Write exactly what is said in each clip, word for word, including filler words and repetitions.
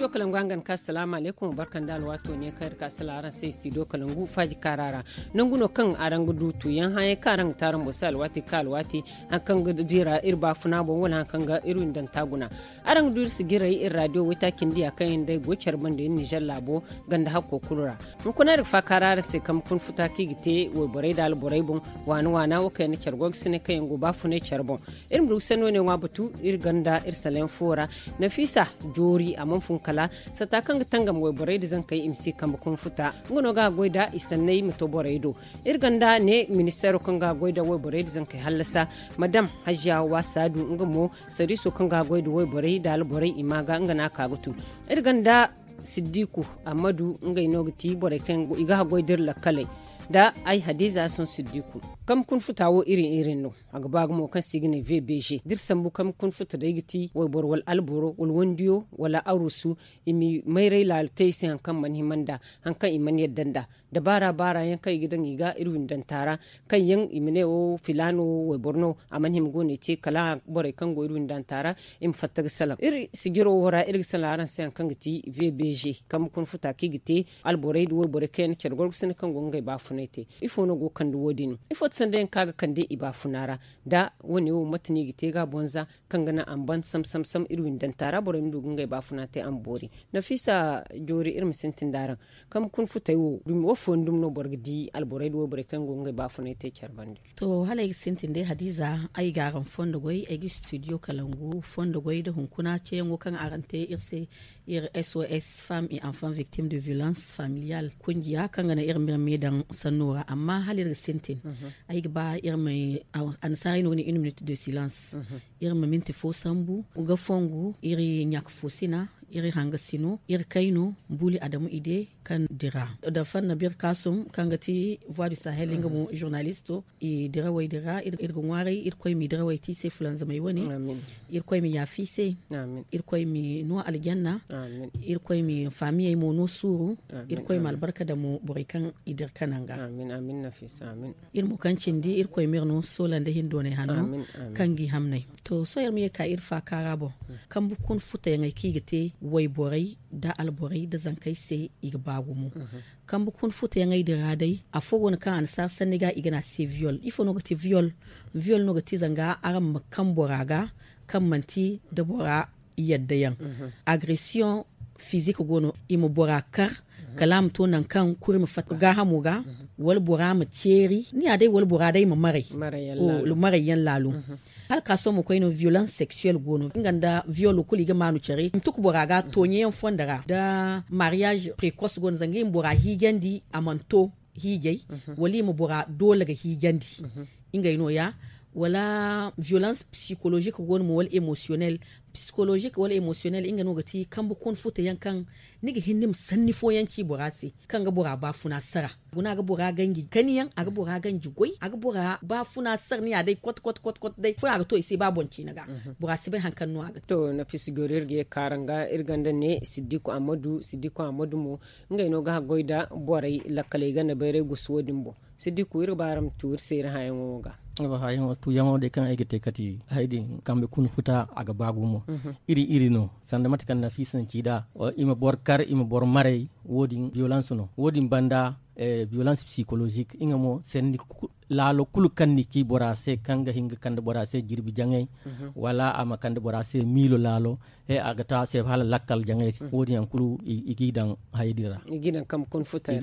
Studio kalangu hangan ka salaamu aleykum barkan da alwaato ne kaŋ iri ka sala araŋ se studio kalangu faaji kaara ra. Nangu no kaŋ araŋ ga du tuuyaŋ hããyaŋ kaŋ araŋ ga te araŋ boŋ se alwaati kaŋ alwaati, hari kaŋ ga dira iri baafuna boŋ wala hari kaŋ ga iri windanta guna. Araŋ ga du iri sijiray iri raadiyo waytaaci nda ya kaŋ yaŋ day go care banda iri nizer laabo ganda hakko kulu ra. Hunkuna iri ga faakaara araŋ se kaŋ ga kun futa kaŋ i ga te wayborey nda alborey boŋ, waana waana wo kaŋ yaŋ na care goy ga sine kaŋ yaŋ go baafunay care boŋ. Iri ma du ga sanno ne ŋwa batu iri ganda iri salayaŋ fo ra. Nafiisa joori a mana fun kala sata kaŋ ga tangam wayborey nda zankey i ma si kambe kun futa, nga no ga a goy nda i sanney ma to borey do. Iri ganda ne ministeero kaŋ ga a goy nda wayborey nda zankey hallasa, madam hajiya waasa du nga mo, sariiso kaŋ ga a goy nda wayborey nda alborey i ma ga nga no a ka ga tun. Iri ganda siddiku ammadu ngey no ga ti borey kaŋ i ga haggoy da iri lakkaley nda ay hadiza son siddiku. Kambe kun futa wo iri iri no. A ga ba gumo kaŋ se i ga ne vbg da iri sambu kambe kun futa day ga ti wayboro wala alboro wala wandiyo wala arusu, i ma mayray laala te i se hari kaŋ mana hima nda hari kaŋ i mana yadda nda dabaara baara yaŋ kaŋ i ga daŋ i ga iri windanta ra, kaŋ yaŋ i ma ne wo filaano wo wayboro no a mana hima go no i te kala borey kaŋ go iri windanta ra i ma fatta ga salaŋ iri sijiro wo ra iri ga salaŋ araŋ se hari kaŋ ga ti vbg kambe kuna futa kaŋ i ga te alborey nda wayborey kaŋ yaŋ na care gorgosina kaŋ go ngey baafunay te. Ifo no go ga kande wo- din ifo ti sanda yaŋ kaŋ a ga kande i baafuna ra? Da wo- ne wo mate no i ga te ga a bonza kaŋ ga naŋ a ma ban sam sam sam iri windanta ra borey ma du ga ngey baafuna te a ma boori. Nafiisa joori iri ma sintin da araŋ kambe kuna futey wo dumi wo fooyaŋ dumi no boro ga di alborey nda wayborey kaŋ go ga ngey baafunay te care bande? To hala ay ga sintin day hadiza ay ga araŋ fondo goy ay ga studio kalangu fondo goy nda hunkuna ceeyaŋo kaŋ araŋ te iri se iri sos femme et enfant victime de violence familiale kungiya kaŋ ga naŋ iri ma iri me daŋ sanno ra amma hala iri ga sintin ay ga ba iri ma annasaarey no ga ne une minute de silence. Iri ma minti fo sambu ga fongu iri ɲaaka fo sina iri hanga sino iri kayno buuli adamu ide kaŋ dira da fanna birkasum kaŋ ga ti voie du sahel nga mo journalisto i dirawey dira iri ga ŋwaaray irkoy ma i dirawey te i se fulanzamey wane. Irkoy ma yaafa i se. Irkoy ma no aljanna. Irkoy ma faamiyey mo no suuru. Irkoy ma albarka daŋ mo borey kaŋ i dira ka naŋ ga. Iri mo kaŋ cindi irkoy ma iri no soola nda hindoonay hanno kaŋ ga i hamnay. To sohõ iri ma ye ga ka iri faaka ra boŋ kambe kuna futayaŋey kaŋ i ga te wayborey nda alborey nda zankey se i ga ba gumo. Kambe kuna futayaŋey din ra day afo go no kaŋ annasaara sanni ga i ga ne a se viol ifo no ga ti viol? Viol no ga ti zanga araŋ ma kaŋ bora ga kaŋ manti nda bora yadda yaŋ. Agression fizik go no i ma bora kar kala a ma to nangu kaŋ kuri ma fatta gaahamo ga wala bora ma ceeri ni ya day wala bora day ma maray. Maray yaŋ laalo. Hala ka sohõ ma koy no violence sexuelle go no nga nda viol kulu i ga maanu care i ma tuku bora ga tooɲe yaŋ fondo ra nda mariage precoce go no zanga i ma bora hiijandi a mana to hiijay wala i ma bora doole ga hiijandi. Ngey no- ya wala violence psychologique go no mo wala émotionnel. Psychologique wala émotionnel nga no ga ti kambe kuna futa yaŋ kaŋ ni ga hin ni ma sanni fooyaŋ ci bora se kaŋ ga bora baafuna sara guna ga bora ganji kani yaŋ a ga bora ganji goy a ga bora baafuna sara ni ya day kwat kwat kwat day fooyaŋ a ga to i se ba boŋ ciina ga. Bora si bay hari kaŋ no a ga to nafisa goro iri ga ye ga ka araŋ ga iri ganda ne siddiku ammadu siddiku ammadu mo ngey no ga haggoy nda borey lakkaley ganda bayray gusu wo- din boŋ. Siddiku iri ga ba araŋ ma tu iri se iri hããyaŋo wo ga. Tuuyaŋo day kaŋ ay ga te kati hari din kambe kuna futa a ga ba gumo. Iri iri no sanda mate kaŋ nafiisa na ci nd'a i ma boro kar i ma boro maray. Wo- din violence no wo- din banda violence psychologique nga mo sanni laalo kulu kaŋ ni ci bora se kaŋ ga hin ga kande bora se jirbi jaŋay wala a ma kande bora se miilo laalo he a ga to a se hala lakkal jaŋay se wo- din yaŋ kulu i g'i daŋ haya din ra.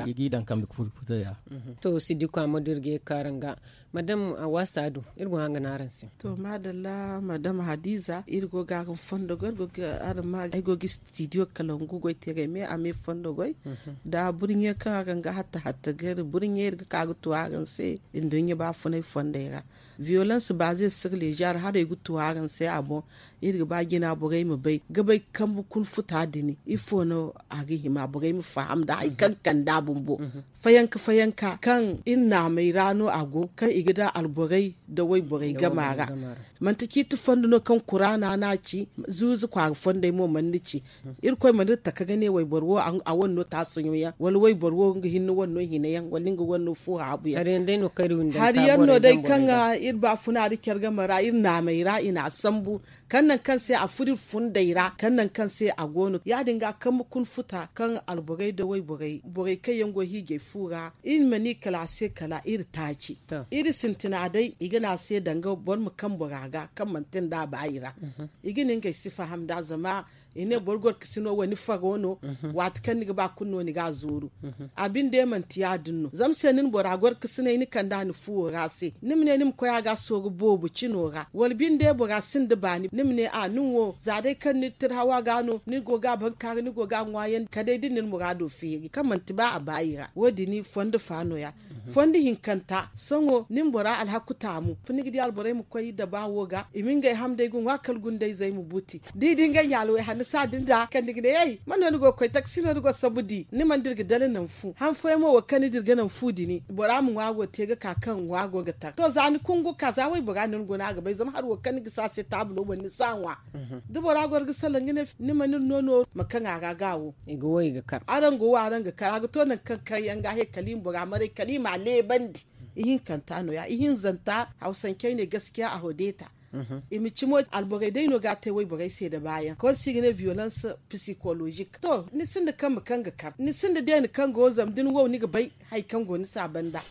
I g'i daŋ kambe kuna futay ra. To siddiku ammadu iri ga ye ga ka araŋ ga madam a waasa du iri go hanga no araŋ se. To maadalla madam hadiza iri go ga araŋ fondo goy iri go ga araŋ ma ay go ga studio kalangu goy te ga ay me a me fondo goy. Da burɲe kaŋ araŋ ga hatta hatta ga iri burɲe iri ga ka ga tu araŋ se nduɲɲa baafunay fondey ra. Violence baaze sirlezer haray ga tu araŋ se a boŋ. Iri ga ba jina borey ma bay ga bay kambe kuna futa din ifo no a ga hima borey ma faham nda hari kaŋ kande a bumbo. Fayanka fayanka kaŋ iri naamey ra no a go kaŋ i ga da alborey nda wayborey gama ra. Manti ciiti fondo no kaŋ kuraana no a ci zuuzu kwaara fondey mo mana ni ci. Irkoy mana iri taka ga ne wayboro wo a wane. no taasaɲo yaŋ wala wayboro wo nga hinne wane no hina yaŋ wala nga wane no fo haabu yaŋ. Hari yaŋ no day kaŋ iri baafuna da care game ra iri naamey ra i n'a sambu kaŋ nangu kaŋ se a furo iri fundey ra kaŋ nangu kaŋ se a go no ya- din ga kambe kuna futa kaŋ alborey nda wayborey borey kaŋ yaŋ go hiijay fu ra iri ma ni kala a se kala iri taaci. Iri sintina day i ga ne a se danga boro ma kaŋ bora ga kaŋ manti nda a ba i ra. I ga ne ngey si faham nd'a zama i ne boro gorkasino wani faro no. Waati kaŋ ni ga ba kulu no ni ga a zooru. A binde manti ya- din no zama se ni na bora gorkasinay ni kand'a ni fuwo ra se ni ma ne ni ma koy a ga sooru boobo cino ra wala binde bora sinda baani ni ma ne a nin wo za day kaŋ ni tirhawa ga no ni go ga a bankaaru ni go ga a ŋwaayandi kala day da ni na ni muraado feeri kaŋ manti ba a baayi ra wo- din fondo fa no- ya. Fondo hinkanta sohõ ni ma bora alhaku taamu fo ni ga di alborey ma koy daba wo ga i ma ngey hamndey ga ŋwa kala gundayzey ma buuti da i di ngey ɲaalawey hanno saadin da kaŋ ni ga ne ay man no ni go ga koy takasi no ni go ga sambu di ni mana dira ga dala naŋ fu han fooyaŋ mo wo kaŋ ni dira ga naŋ fu din bora ma ŋwa go te ga ka kaŋ ŋwa go ga tar to za ni kungu ka za waybora no ni guna a ga bay zama hari wo kaŋ ni gisi a se taabulo boŋ ni si a ŋwa. Da bora goro ga salaŋ ga ne ni mana iri no nooru ma kaŋ a ra ga wo. Araŋ go wo araŋ ga kar a ga to nangu kaŋ kar yaŋ ga he kala i ma bora maray kala i m'a leebandi. Ihinkanta no- ya ihinzanta hawsancey ne gaskiya a hodeeta. I ma cimo alborey day no ga a te wayborey se nda baayaŋ konsi ga ne violence psychologique to ni sinda kambe kaŋ ga kar ni sinda deene kaŋ go zama da ni wow ni ga bay hari kaŋ go ni se a banda.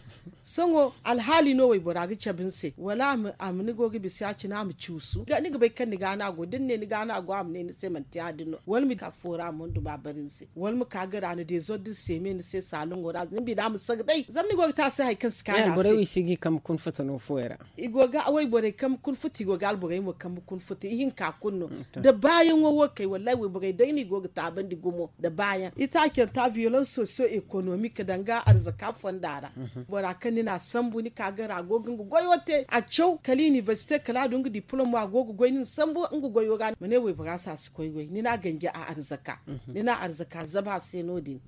Sohõ alhaali no waybora ga cabe ni se wala a ma ni go ga bisa ya- cine a ma cuusu ni ga bay kaŋ ni ga no a go da ni ne ni ga no a go a ma ne ni se manti ya- din no wala ma ka foora a ma hundu ba bari ni se wala ma ka gara ni deezor da ni se me ni se saaloŋo ra ni bina ma saga day zama ni go ga te a se hari kaŋ si kaanu a se. Wayborey wi si ga i kambe kuna futa no fooyaŋ ra. I go ga wayborey kambe kuna futa i go ga alborey mo kambe kuna futa ihinka kulu no. Da baayaŋo wo kay wallahi wayborey day no i go ga taabandi gumo da baayaŋ itaacanta violence socio economique danga arzaka fonda ra. Bora kaŋ ni n'a sambu ni ka gara a go ga nga goyo te a caw kala université kala a du nga diplôme a go ga goy ni na sambu nga goyo ga ma ne waybora se a si koy goy ni n'a ganji a arzaka ni n'a arzaka zaba a se no- din.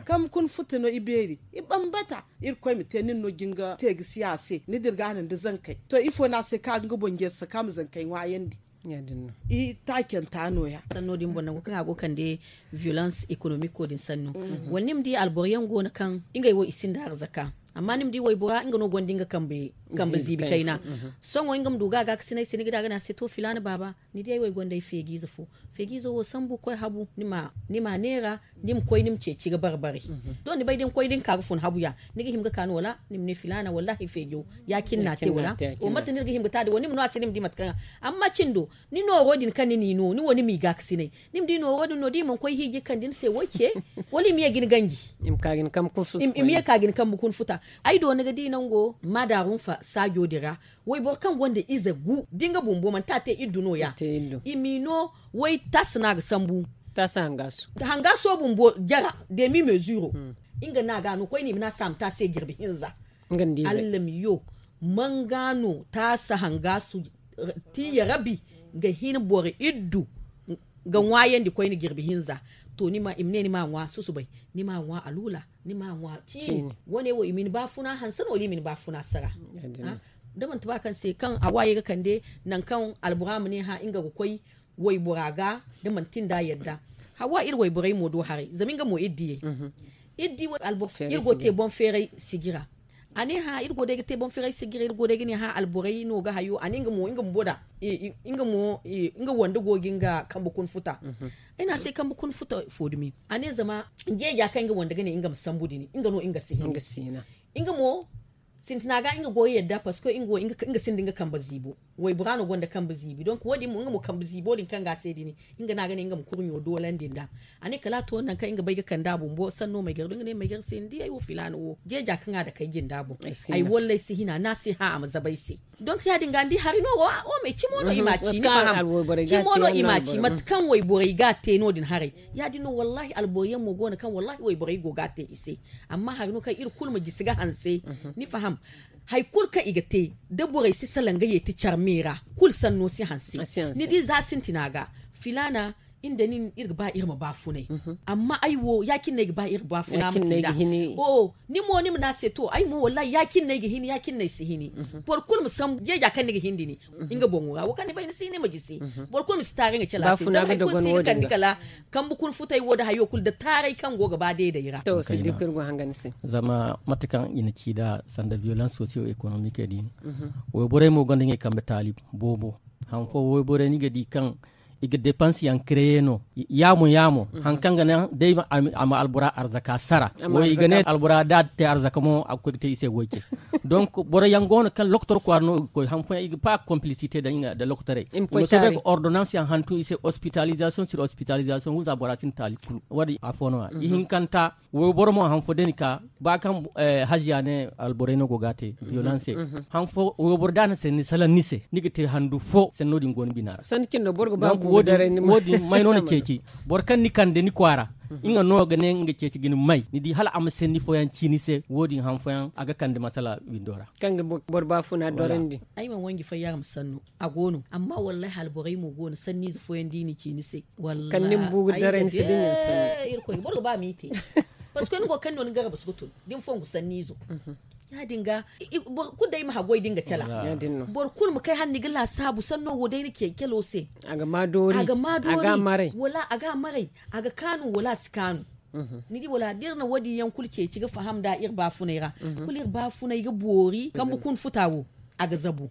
Kambe kuna futa no i beeri i bambata. Irkoy ma te nin no jinga te ga si a se ni dirga no nda zankey to ifo no a se kaŋ a ga nga boŋ jeeri saka ma zankey ŋwaayandi. I taacanta no- ya. Sanno din boŋ nangu kaŋ a go kande violence économique wo din sanno wala ni ma di alboro yaŋ go no kaŋ ngey wo i sinda arzaka amma ni ma di waybora nga no gonda nga kambe ziibi kayna. Sohõ nga ma du ga a gaakasinay se ni ga di a ga ne a se to filaana baaba ni di ay wo ay gonda ay feejiize fo. Feejiizo wo sambu koy habu ni m'a neera ni ma koy ni ma ceeci ga bare-bare. Doŋ ni bay da ni koy da ni ka ga fun habu ya ni ga hima ga ka no wala ni ma ne filaana wallaahi feejo ya- cine no a te wala? Wo mate no ni ga hima ga te a din wala ni ma no a se ni ma di mate kaŋ a amma cindo ni nooro din kaŋ ni n'i no ni wo ni m'i gaakasinay ni ma di nooro din no da i mana koy hiiji ga kande ni se wo ce wala i ma ye ga ni ganji. I ma ye ka ga ni kambe kuna futa. Ay do ni ga di nango maadaarunfa saajo din ra wayboro kaŋ gonda ize gu da nga bumbo manti a te iddu no- ya. I m'i no way taasa no a ga sambu. Taasa hangaaso bumbo jara demi mezuro. Nga no a ga no koyne i ma ne a se a ma te a se jirbi hinza. Allamiyo manga no taasa hangaaso tiiya rabi ga hin boro iddu ga ŋwaayandi koyne jirbi hinza. To ni ma i ma ne ni m'a ŋwa susubay ni m'a ŋwa aluula ni m'a ŋwa ciini. Wane wo i ma ni baafuna hanse no wala i ma ni baafuna sara? Da manti ba kaŋ se kaŋ a waayey ga kande nangu kaŋ albora ma ne hã nga ga koy waybora ga da manti nda a yadda. Hawa iri wayborey mo do haray zama nga mo iri diyey iri go te boŋ feeray sijira. A ne hã iri go day ga te boŋ feeray sijira iri go day ga ne hã alborey no ga hayo a ne nga mo nga bumbo da nga wande go ga nga kambe kuna futa. Ay ne a se kambe kuna futa fo dumi a ne zama jeeja kaŋ nga wande ga ne nga ma sambu din nga no nga si hin. Nga mo sintina ga nga goyo yadda parce que nga sinda nga kambe ziibo. Waybora no gonda kambe ziibi donc wo- din mo nga mo kambe ziibo din kaŋ ga a se din nga no a ga ne nga ma kurɲo doolandi nd'a. A ne kala a to nangu kaŋ nga bay ga kande a bumbo sanno may gar do nga ne may gar se ni di ay wo filaana wo jeeja kaŋ a dake ay jinda boŋ. Ay wallay si hina no a se hã a ma zabe ay se. Donc ya- din ga ni di hari no wo wo me cimo no i m'a ci ni faham. Cimo no i m'a ci mate kaŋ wayborey ga a te no- din haray. Ya- din no wallahi alboro yaŋ mo go no kaŋ wallahi wayborey go ga a te i se. Amma hari no kaŋ iri kulu ma jisi ga hanse ni faham. Hari kulu kaŋ i ga te da borey si salaŋ ga yeeti care me ra kulu sanno si hanse. Ni di za sintina ga filaana iri nda nin iri ga ba iri ma baafunay. Amma ay wo ya- cine no ay ga ba iri ga baafuna ma te nd'a. Ni mo ni ma ne a se to ay mo wallahi ya- cine no ay ga hin ya- cine no ay si hini. Boro kulu ma sambu jeeja kaŋ ni ga hin da ni nga boŋo ra wo kaŋ ni bay ni si hin ni ma gisi. Boro kulu ma si taaray nga cala se zama hari kulu si ga kande kala kambe kuna futay wo nda hayo kulu nda taaray kaŋ go ga ba deeday ra. To siddiku iri go hanga ni se. Zama mate kaŋ i na ci nd'a sanda violence socio economique din, wayborey mo gonda ngey kambe taali boobo. Haŋ fo wayborey ni ga di kaŋ i ga depanse yaŋ kreye no yaamo yaamo. Haŋ kaŋ ga naŋ day a ma albora arzaka sara wo i ga ne albora da a te arzaka mo a ga koy ga te i se goy ce. Donc boro yaŋ go no kaŋ lokotor kwaara no i ga koy haŋ fooyaŋ i ga ba complicité nda lokotorey i ma soobay ga ordonnance yaŋ hantum i se hospitalisation sur hospitalisation wo za bora sinda taali kulu wo- din afo no- ya ihinkanta. Wayboro mo haŋ fo day ni ka ba kaŋ haziya ne alborey no go ga a te violence. Haŋ fo wayboro da a na sanni salaŋ ni se ni ga te handu fo sanno din go ni bina ra. Sanni cine no boro ga ba guuru daray ni ma wo- din may no na ceeci boro kaŋ ni kande ni kwaara nga no ga ne nga ceeci ga ni may ni di hala a ma sanni fooyaŋ ci ni se wo- din haŋ fooyaŋ a ga kande masala windo ra. Kaŋ ga boro baafuna dorandi. Ay mana wanji fayyara ma sanno a go no amma wallahi alborey mo go no sanniize fooyaŋ da i na ci ni se. Wallahi kaŋ ni ma bu ga daray ni se da ni na sanno. Irkoy boro ga ba ma i te. Parce que ni go kaŋ no ni garba si ga tun da ni fongu sanniizo. Ya- din ga boro kulu day ma haggoy da nga cala. Boro kulu ma kay hala ni ga laasaabu sanno wo day ni ce calo se. A ga ma doori a ga ma doori a ga a maray a ga kaanu wala a si kaanu. Ni di wala da iri na wo- din yaŋ kulu ceeci ga faham nd'a iri baafunay ra kulu iri baafunay ga boori kambe kuna futa wo. A ga zabu.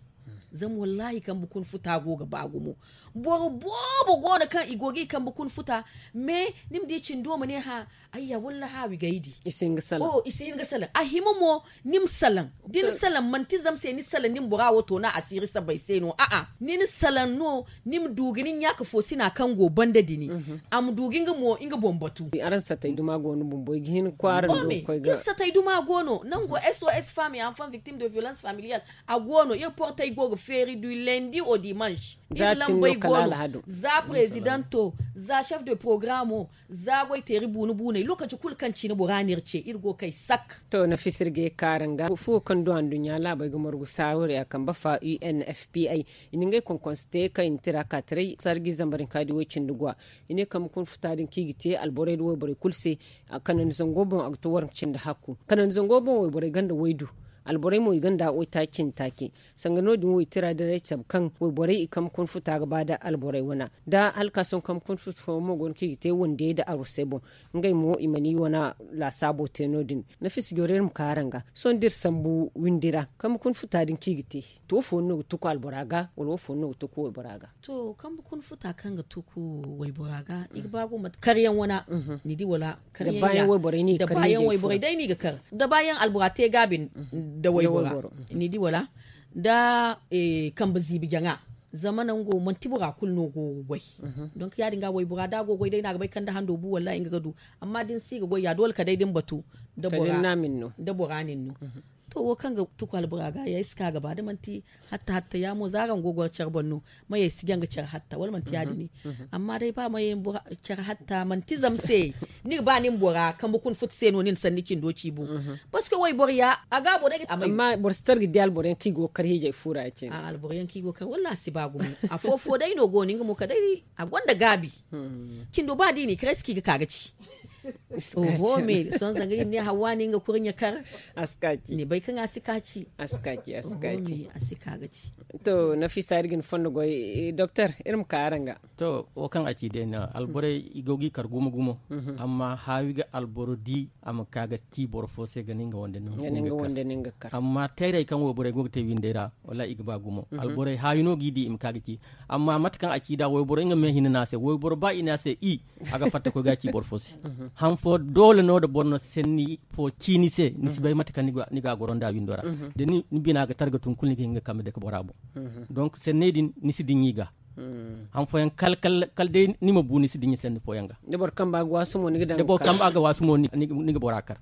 Zama wallahi kambe kuna futa go ga ba gumo. Boro boobo go no kaŋ i go ga i kambe kuna futa. Mais ni ma di cindo ma ne hã ayya walla haawi gaydi. I si hin ga salaŋ. A hima mo ni ma salaŋ da ni salaŋ manti zama se ni salaŋ ni ma bora wo toona asiiri sabbay se no a'a ni na salaŋ no. Ni ma du ga ni ɲaaka foosina kaŋ go banda dini. A ma du ga nga mo nga boŋ batu. Araŋ satay duma go no bumbo i ga hin kwaara no ga koy ga iri satay duma go no nango sos femme et enfant victime de violence familiale. A go no iri portey go ga feeri du lundi au dimanche. Iri lambey go no za presidento, za chef de programo, za goyteeri buunu buuney lokaci kulu kaŋ cine bora no iri ce iri go kay sak. To nafisa iri ga ye kaara nga fuwo kaŋ du anduɲɲa laabey ga margu saawariya kambe fa unfpi i na ngey konkonse te kaŋ i na tira ka taray sarji zambar hinka di way cindi gwa. I ne kambe kuna futa din kaŋ i ga te alborey nda wayborey kulu se. Kanandi zango boŋ a ga to waranka cindi hakku kanandi zango boŋ wayborey gonda waydu. Alborey mo i gonda waytaaci cindi taaci. Sanga no- din waytira diray cabe kaŋ wayborey i kambe kuna futa ga ba nda alborey wana nda halkaason kambe kuna futa fooyaŋ mo go no kaŋ i ga te wandiyey nda arwasey boŋ. Ngey mo i mana i wana laasaabo te no- din. Nafisa joro iri ma ka araŋ ga sohõ da iri sambu windi ra kambe kuna futa din kaŋ i ga te. To wo fooyaŋ no ga tuku albora ga wala wo fooyaŋ no ga tuku waybora ga? To kambe kuna futa kaŋ ga tuku waybora ga i ga ba gumo karyaŋ wana. Ni di wala karyaŋ da baayaŋ wayborey day no i ga kar da baayaŋ albora te gaabi nda waybora. Ni di wala nda kambe ziibi jaŋa. Zama nango manti bora kulu no go ga goy. Donk ya- din ga waybora da a go ga goy day no a ga bay kaŋ da hando bu wallahi nga ga du. Amma da ni si ga goy ya doole kala day da ni batu nda bora nin no. To wo kaŋ ga tuku albora ga ya ay si ka ga ba da manti hatta hatta ya mo za araŋ go ga goro care boŋ no. Mayey si jaŋ ga care hatta wala manti ya- din ne? Amma day ba mayey care hatta manti zama se ni ga ba ni ma bora kambe kuna futa se no ni na sanni cindo ci bu. Parce que wayboro ya a ga boro day ga a may amma boro si tara ga di alboro yaŋ kaŋ i go ga kar hiijay fu ra ya cine. Alboro yaŋ kaŋ i go ga kar walla a si ba gumo. Afo fo day no go no nga mo kala day a gonda gaabi. Cindo ba da i n'i kar ay si ka i ga ka ga ci. Oho me sohõ zanga i ma ne hawa no nga kurɲe kar. Ni bay kaŋ a si ka ci. A si ka ci a si ka ci. A si ka ga ci. To nafisa iri ga ni fondo goy doktor iri ma ka araŋ ga. To wo kaŋ a ci day no alborey i go ga i kar gumo gumo. Amma haawi ga alboro di a ma ka ga ci boro fo se ga ne nga wande no nga kar. Amma tayray kaŋ wayborey go ga te windey ra wallaahi i ga ba gumo. Alborey haawi no g'i di i ma ka ga ci. Amma mate kaŋ a ci nd'a wayboro nga me hinne no a se wayboro ba i ne a se i a ga fatta koy ga ci boro fo se. Han fo doole no nda boro na sanni fo ci ni se ni si bay mate kaŋ ni ga a goro nd'a windo ra. Da ni bina ga targa tun kulu ni ga hin ga kambe dake bora boŋ. Donk sanney din ni si diɲa i ga. Han fooyaŋ kala day ni ma bu ni si diɲa sanni fooyaŋ ga. Da boro kamba ga waasu mo ni ga bora kar.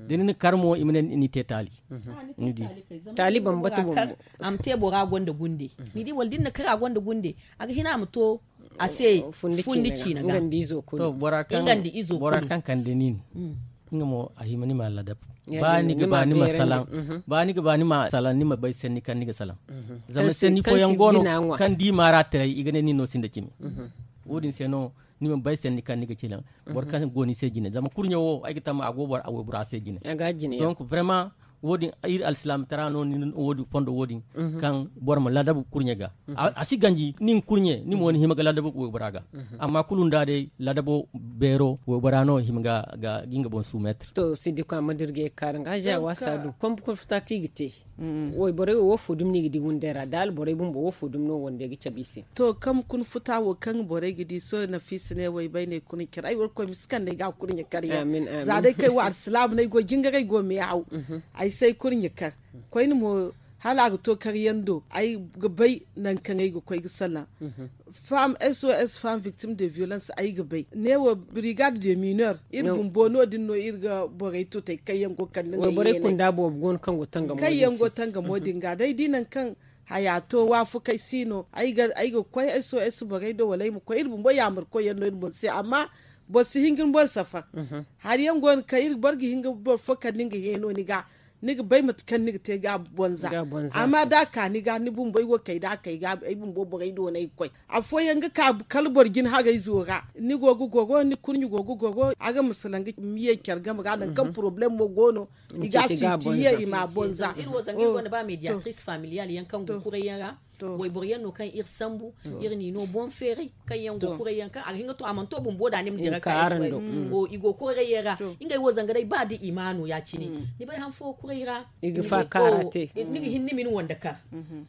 Da ni na kar mo i ma ne ni te taali. Ni di taali bambata bumbo. A ma te bora gonda gunde. Ni di wala da ni na kar a gonda gunde a ga hina a ma to a se fundi ciina ga. Nga nda izo kulu. Bora kaŋ kande nin nga mo a hima ni ma ladab. Ba ni ga ba ni ma salaŋ. Ba ni ga ba ni ma salaŋ ni ma bay sanni kaŋ ni ga salaŋ. Zama sanni fooyaŋ go no kaŋ di maara taray i ga ne nin no sinda cimi. Wo- din se no ni ma bay sanni kaŋ ni ga ci naŋ boro kaŋ go ni se jine zama kurɲe wo ay ga tamma a go boro a waybora se jine. Donc vraiment, wo- din iri alsilaami tara no ni wo- din fondo wo- din kaŋ boro ma ladabu kurɲe ga. A si ganji nin kurɲe ni mo ni hima ga ladabu waybora ga. Amma kulu nda day ladabo beero waybora no hima ga ga nga boŋ sumetre. To si di kwama dirge kaara nga haja wasa du kombu kun futa kaŋ i ga te. Wayborey wo wo fo dumi no i ga di wunday ra da alborey bumbo wo fo dumi no wande ga cabe i se. To kaŋ kun futa wo kaŋ borey ga di sohõ nafiisa ne waybayne kurɲe kar ay warkoy ma si kande ay ga kurɲe kar yaŋ. Za day kay wo alsilaama no ay go jingar ay go me haw. Ay si ay kurɲe kar koyne mo hala a ga to kar yaŋ do ay ga bay nangu kaŋ ay ga koy ga salaŋ. Femme sos femme victime de violence ay ga bay ne wo brigade de mineur iri bumbo no- din no iri ga borey tutay kaŋ yaŋ go kande nda i yeenay kaŋ yaŋ go tangamo din ga day di nangu kaŋ haya to waafakey si no ay ga koy sos borey do wala ay ma koy iri bumbo yaamar koy yaŋ no iri boŋ se amma boro si hin ga ni boŋ safar. Hari yaŋ go no kaŋ iri boro ga hin ga boro fo kande nga heeno ni ga ni ga bay mate kaŋ ni ga te ga bonza. Amma da a ka ni ga ni bumbo ay wo kay da a kay ga ay bumbo borey do no ay ga koy afooyaŋ ga ka kala boro jin harayzo ra ni go ga goro ni kurɲe go ga goro a ga ma salaŋ ga ma ye care game ra nangu kaŋ problème mo go no i ga a sinti ye i ma a bonza. Iri wo zanga iri gonda ba mediatrice familiale yaŋ kaŋ go kuray yaŋ ra wayboro yaŋ no kaŋ iri sambu iri n'i no boŋ feeray kaŋ yaŋ go kuray yaŋ kaŋ a ga hin ga to a mana to bumbo da ni ma dira ka i go kuray yaŋ ra. Ngey wo zanga day ba da i ma no ya- cine ni bay han fo kuray ra ni ga hin ni ma ni wande kar.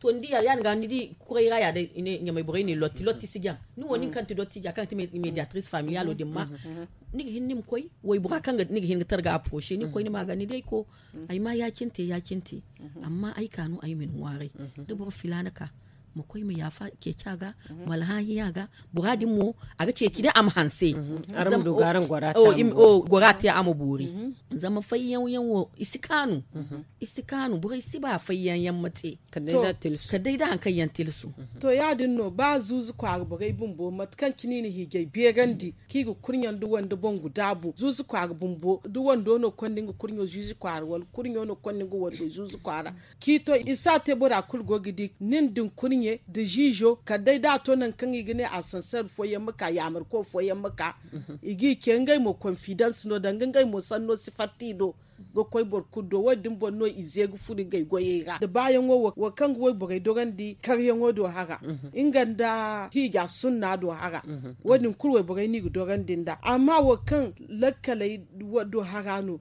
To ni di ya- din ga ni di kuray ra ya day ɲamay borey ne lotti lotti si jaŋ ni wo nin kaŋ ti dottiija kaŋ ti mediatrice familialo din ma ni ga hin ni ma koy waybora kaŋ ni ga hin ga targa approcher ni ga koy ni ma ga ni day ko ay ma ya- cine te ya- cine te. Amma ay ka no ay ma ni ŋwaaray da boro filaana ka ma koy ma yaafa ceeci a ga ma alhaahi a ga bora din mo a ga ceeci day a ma hanse. Gora te a ma boori zama fayyaŋ yaŋ wo i si kaanu. I si kaanu borey si ba fayyaŋ yaŋ ma te kala day da hari kaŋ yaŋ tilsu. To ya- din no ba zuuzu kwaara borey bumbo mate kaŋ cine i na hiijay beerandi kaŋ i ga kurɲe nda wande boŋ guda boŋ zuuzu kwaara bumbo da wando no konda nga kurɲo zuuzu kwaara wala kurɲo no konda nga wando zuuzu kwaara. Kaŋ i to i si a te bora kulu go ga di nin din kurɲe nda ziizo kala day da a to nangu kaŋ i ga ne asanseer fooyaŋ ma ka yaamarko fooyaŋ ma ka i g'i ce ngey mo konfidans no danga ngey mo sanno si fatta i do ga koy boro kulu do wo- din boŋ no i ze ga furo ngey goyey ra da baayaŋo wo kaŋ ga wayborey dorandi karyaŋo do hara nga nda hiija sunna do hara. Wo- din kulu wayborey no i ga dorandi nd'a amma wo kaŋ lakkaley do hara no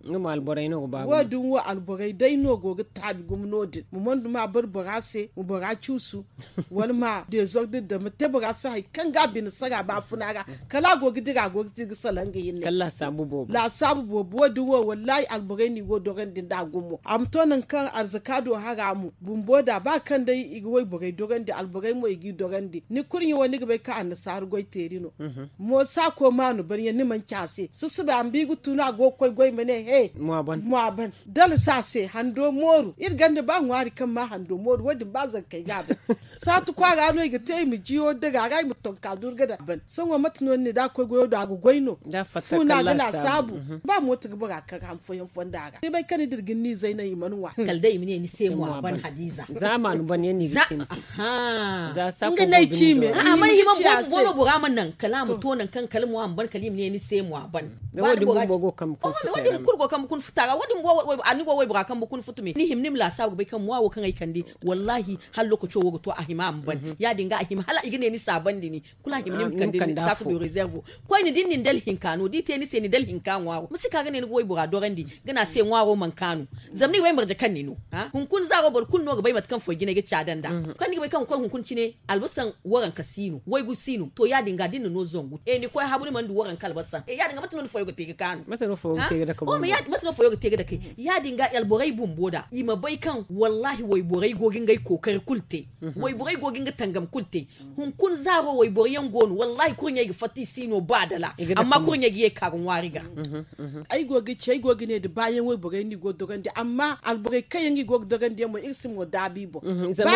wo- din wo alborey day no go ga taabi gumo no- din ma mondu ma a bar bora se ma bora cuusu wala ma dezordi da ma te bora se hari kaŋ ga a bine sara baafuna ra kala a go ga dira a go ga te ga salaŋ nga hinne. Laasaabu boobo wo- din wo wallahi alborey no i go dorandi nd'a gumo a ma to nangu kaŋ arzaka do hara mo bumbo da ba kaŋ day i ga wayborey dorandi alborey mo i g'i dorandi ni kurɲe wo ni ga bay kaŋ annasaara goy teeri no. Mo saako ma a no ban yaŋ ni mana ci a se susuba a ma ba i ga tunu a go ga koy goy ma ne he mo a ban dala se a se hando mooru iri ganda ba ŋwaari kaŋ ma hando mooru wo- din ba zankey ga a ban. Saatu kwaara no i ga te i ma jiyo daga a ra i ma tonka durga da ban sohõ mate no ni ne da a koy goyo do a ga goy no. Fu no a ga laasaabu ba mooto ga bora kaŋ ga ham fooyaŋ fonda ra ni bay kaŋ ni dira ga ni zay naŋ i mana ŋwa kala day i ma ne ni se mo a ban hadiiza. Za maanu ban yaŋ no i ga ci ni se. Nga n'ay ci me a mana hima boobo boobo bora ma naŋ kala a ma to nangu kaŋ kala mo a ma ban kala i ma ne ni se mo a ban. Wo- din kulu go kambe kun futa ra wo- din a ni go waybora kambe kun futu me ni hima ni ma laasaabu ga bay kaŋ mo a wo kaŋ ay kande wallahi hala lookaco wo ga to a hima a ma ban ya- din ga a hima hala i ga ne ni saabandi ni kulu a hima ni ma kande ni saako du reservo. Koyne da ni na ni dala hinka no da i te ni se ni dala hinka ŋwaaro ma si ka ga ne ni ga waybora dorandi ga ne a se ŋwaaro mana kaanu. Zama ni ga bay marje kaŋ ni no hunkuna zaaro boro kulu no ga bay mate kaŋ foy jinay ga caada nd'a kaŋ ni ga bay kaŋ ga koy hunkuna cine albasaŋ waranka si no waygu si no to ya- din ga da ni na no zangu e ni koy habu ni mana du waranka albasaŋ e ya- din ga mate no ni foyo ga te ga kaanu. Mate no foyo ga te ga dakay ya- din ga alborey bumbo da i ma bay kaŋ wallahi wayborey go ga ngey kookari kulu te wayborey go ga nga tangam kulu te. Hunkuna zaaro wayboro yaŋ go no wallahi kurɲey ga fatta i si no ba dala amma kurɲey ga ye ka ga ŋwaari ga. Ay go ga ci ay go ga ne da baayaŋ wayborey no i go ga dogandi amma alborey kaŋ yaŋ i go ga dogandi yaŋ mo iri si mo daabu i boŋ. Zama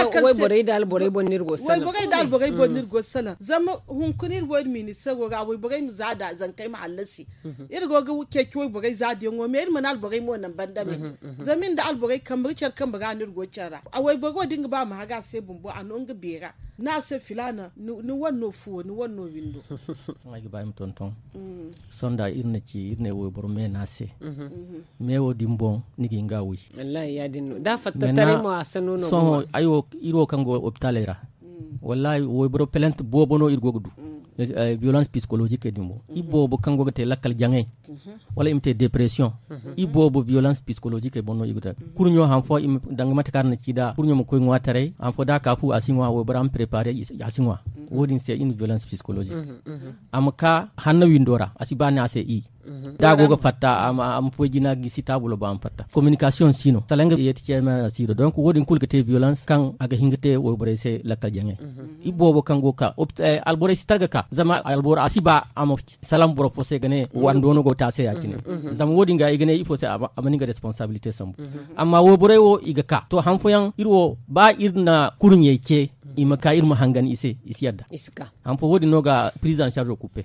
wayborey da alborey boŋ no iri go ga salaŋ zama hunkuna iri wo iri ministeero ra wayborey ma za da zankey ma hallasi. Iri go ga ceeci wayborey zaadiyaŋo me, iri mana alborey mo naŋ banda me. Zama iri nda alborey kambe ga care kambe ga no iri go care ra. A wayboro wo da nga ba a ma haga a se bumbo a no nga beera. Ni a se filaana ni wane no fuwo, ni wane no windo. Ay ga ba ay ma tonton. Sonda iri na ci iri ne wayboro me no a se. Me wo din boŋ ni ga hin ga a wi. Wallahi ya- din no da a fatta taray mo a sanno no sohõ. Iri wo kaŋ go hopitaley ra, wallahi wayboro pelent boobo no iri go ga du. Violence psychologique din boŋ i boobo kaŋ go ga te lakkal jaŋay, wala i ma te depression. I boobo violence psychologique boŋ no i ga te. Kurɲo han fo i ma danga mate kaŋ a na ci nd'a kurɲo ma koy ŋwa taray han fo da a ka fu a si ŋwa waybora ma prepare a si ŋwa. Wo- din se i na violence psychologique. A ma ka hanna windo ra a si ba ni a se i da a go ga fatta a ma foy jina gisi taabulo ba a ma fatta communication si no salaŋ ga yeeti ceeme a si do donc wo- din kulu ga te violence kaŋ a ga hin ga te wayborey se lakkal jaŋay. I boobo kaŋ go ga ka alborey si targa ka zama alboro a si ba a ma salaŋ boro fo se ga ne wando no go ga te a se ya- cine. Zama wo- din ga i ga ne ifo se a ma ni ga responsabilité sambu. Amma wayborey wo i ga ka to han fooyaŋ iri wo ba iri na kurɲey ce i ma ka iri ma hangan i se i si yadda. Han fo wo- din no ga prise en charge o kuppe.